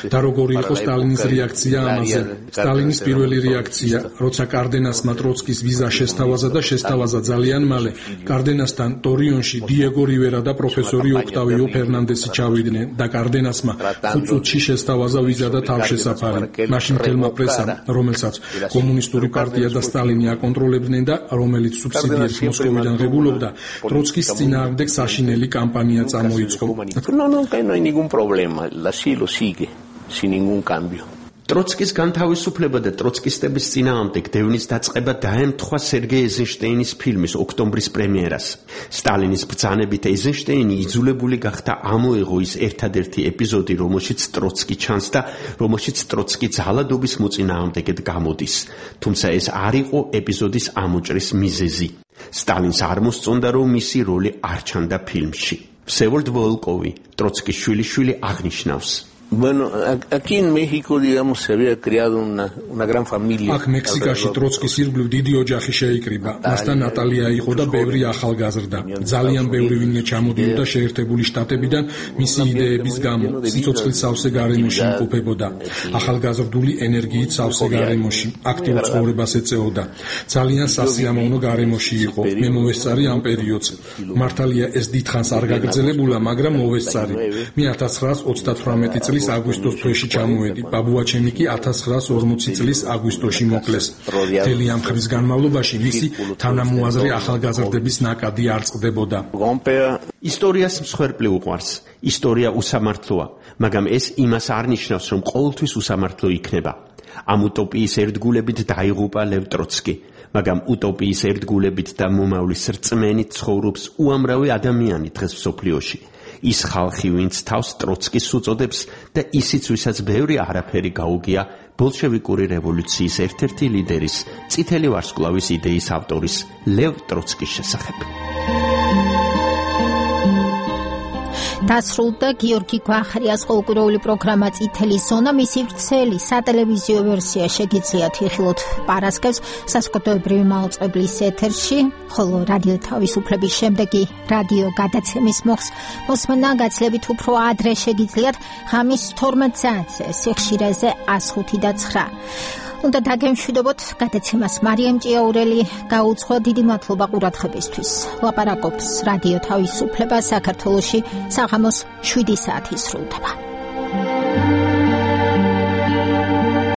და როგორი იყო სტალინის რეაქცია ამაზე? სტალინის პირველი რეაქცია, როცა კარდენასმა ტროცკი ტროცკის ვიზა შესთავაზა და შესთავაზა ძალიან მალე. კარდენასთან ტორიონში დიეგო რივერა და პროფესორი ოქტავიო ფერნანდესი ჩავიდნენ და კარდენასმა 5 წუთში შესთავაზა ვიზა და თავშესაფარი. მაშინ მთელმა პრესამ, რომელსაც კომუნისტური პარტია და სტალინი აკონტროლებდნენ და რომელიც სუბსიდიებს მოსკოვიდან ღებულობდა, ტროცკის წინააღმდეგ საშინელი კამპანია წამოიწყო. No hay ningún problema, así lo sigue, sin ningún cambio. ტროცკის განთავისუფლება და ტროცკისტების წინააღმდეგ დევნის დაწყება დაემთხვა სერგეი ეიზენშტეინის ფილმის ოქტომბრის პრემიერას. სტალინის ბრძანებით ეიზენშტეინი იძულებული გახდა ამოეღო ის ერთადერთი ეპიზოდი, რომელშიც ტროცკი ჩანს და რომელშიც ტროცკი ძალადობის მოწინააღმდეგედ გამოდის. თუმცა ეს არ იყო ეპიზოდის ამოჭრის მიზეზი. სტალინს არ მოსწონდა, რომ მისი როლი არ ჩანდა ფილმში. Всеволод Волковი, ტროცკის შვილიშვილი აღნიშნავს. Bueno, aquí en México, digamos, se había creado una gran familia. Აქ მექსიკაში ტროცკის ირგვლივ დიდი ოჯახი შეიკრიბა. მასთან ნატალია იყო და ბევრი ახალგაზრდა. ძალიან ბევრი ვინმე ჩამოდიოდა შეერთებული შტატებიდან მისი იდეების გამო. სიცოცხლის სავსე გარემოში იმყოფებოდა. ახალგაზრდული ენერგიით სავსე გარემოში. აქტიურ ცხოვრებას ეწეოდა. ძალიან სასიამოვნო გარემოში იყო. მე მოვესწარი ამ პერიოდს. მართალია ეს დიდხანს არ გაგრძელებულა, მაგრამ მოვესწარი. მე 1938 წლის აგვისტოს თვეში ჩამოვედი. ბაბუაჩემი კი 1940 წლის აგვისტოში მოკლეს. მთელი ამ ხნის განმავლობაში მისი თანამოაზრე ახალგაზრდების ნაკადი არ წყდებოდა. ისტორიას მსხვერპლი უყვარს. ისტორია უსამართლოა, მაგრამ ეს იმას არ ნიშნავს, რომ ყოველთვის უსამართლო იქნება. ამ უტოპიის ერთგულებით დაიღუპა ლევ ტროცკი, მაგრამ უტოპიის ერთგულებით და მომავლის რწმენით ცხოვრობს უამრავი ადამიანი დღეს მსოფლიოში. ის ხალხი, ვინც თავს ტროცკის უწოდებს და ისიც, ვისაც ბევრი არაფერი გაუგია ბოლშევიკური რევოლუციის ერთ-ერთი ლიდერის, წითელი ვარსკვლავის იდეის ავტორის ლევ ტროცკის შესახებ. დასრულდა გიორგი გვახრიას ყოველკვირეული პროგრამა წითელი ზონა. მისი ვრცელი სატელევიზიო ვერსია შეგიძლიათ იხილოთ პარასკევს საზოგადოებრივი მაუწყებლის ეთერში, ხოლო რადიო თავისუფლების შემდეგი რადიო გადაცემის მოსმენა გაცლებით უფრო ადრე შეგიძლიათ ღამის 12 საათზე სიხშირეზე 105 და 9. უნდა დაგემშვიდობოთ, გადაცემას მარიამ ჭიაურელი გაუძღვა. დიდი მადლობა ყურადღებისთვის. ლაპარაკობს რადიო თავისუფლება. საქართველოში საღამოს 7 საათი სრულდება.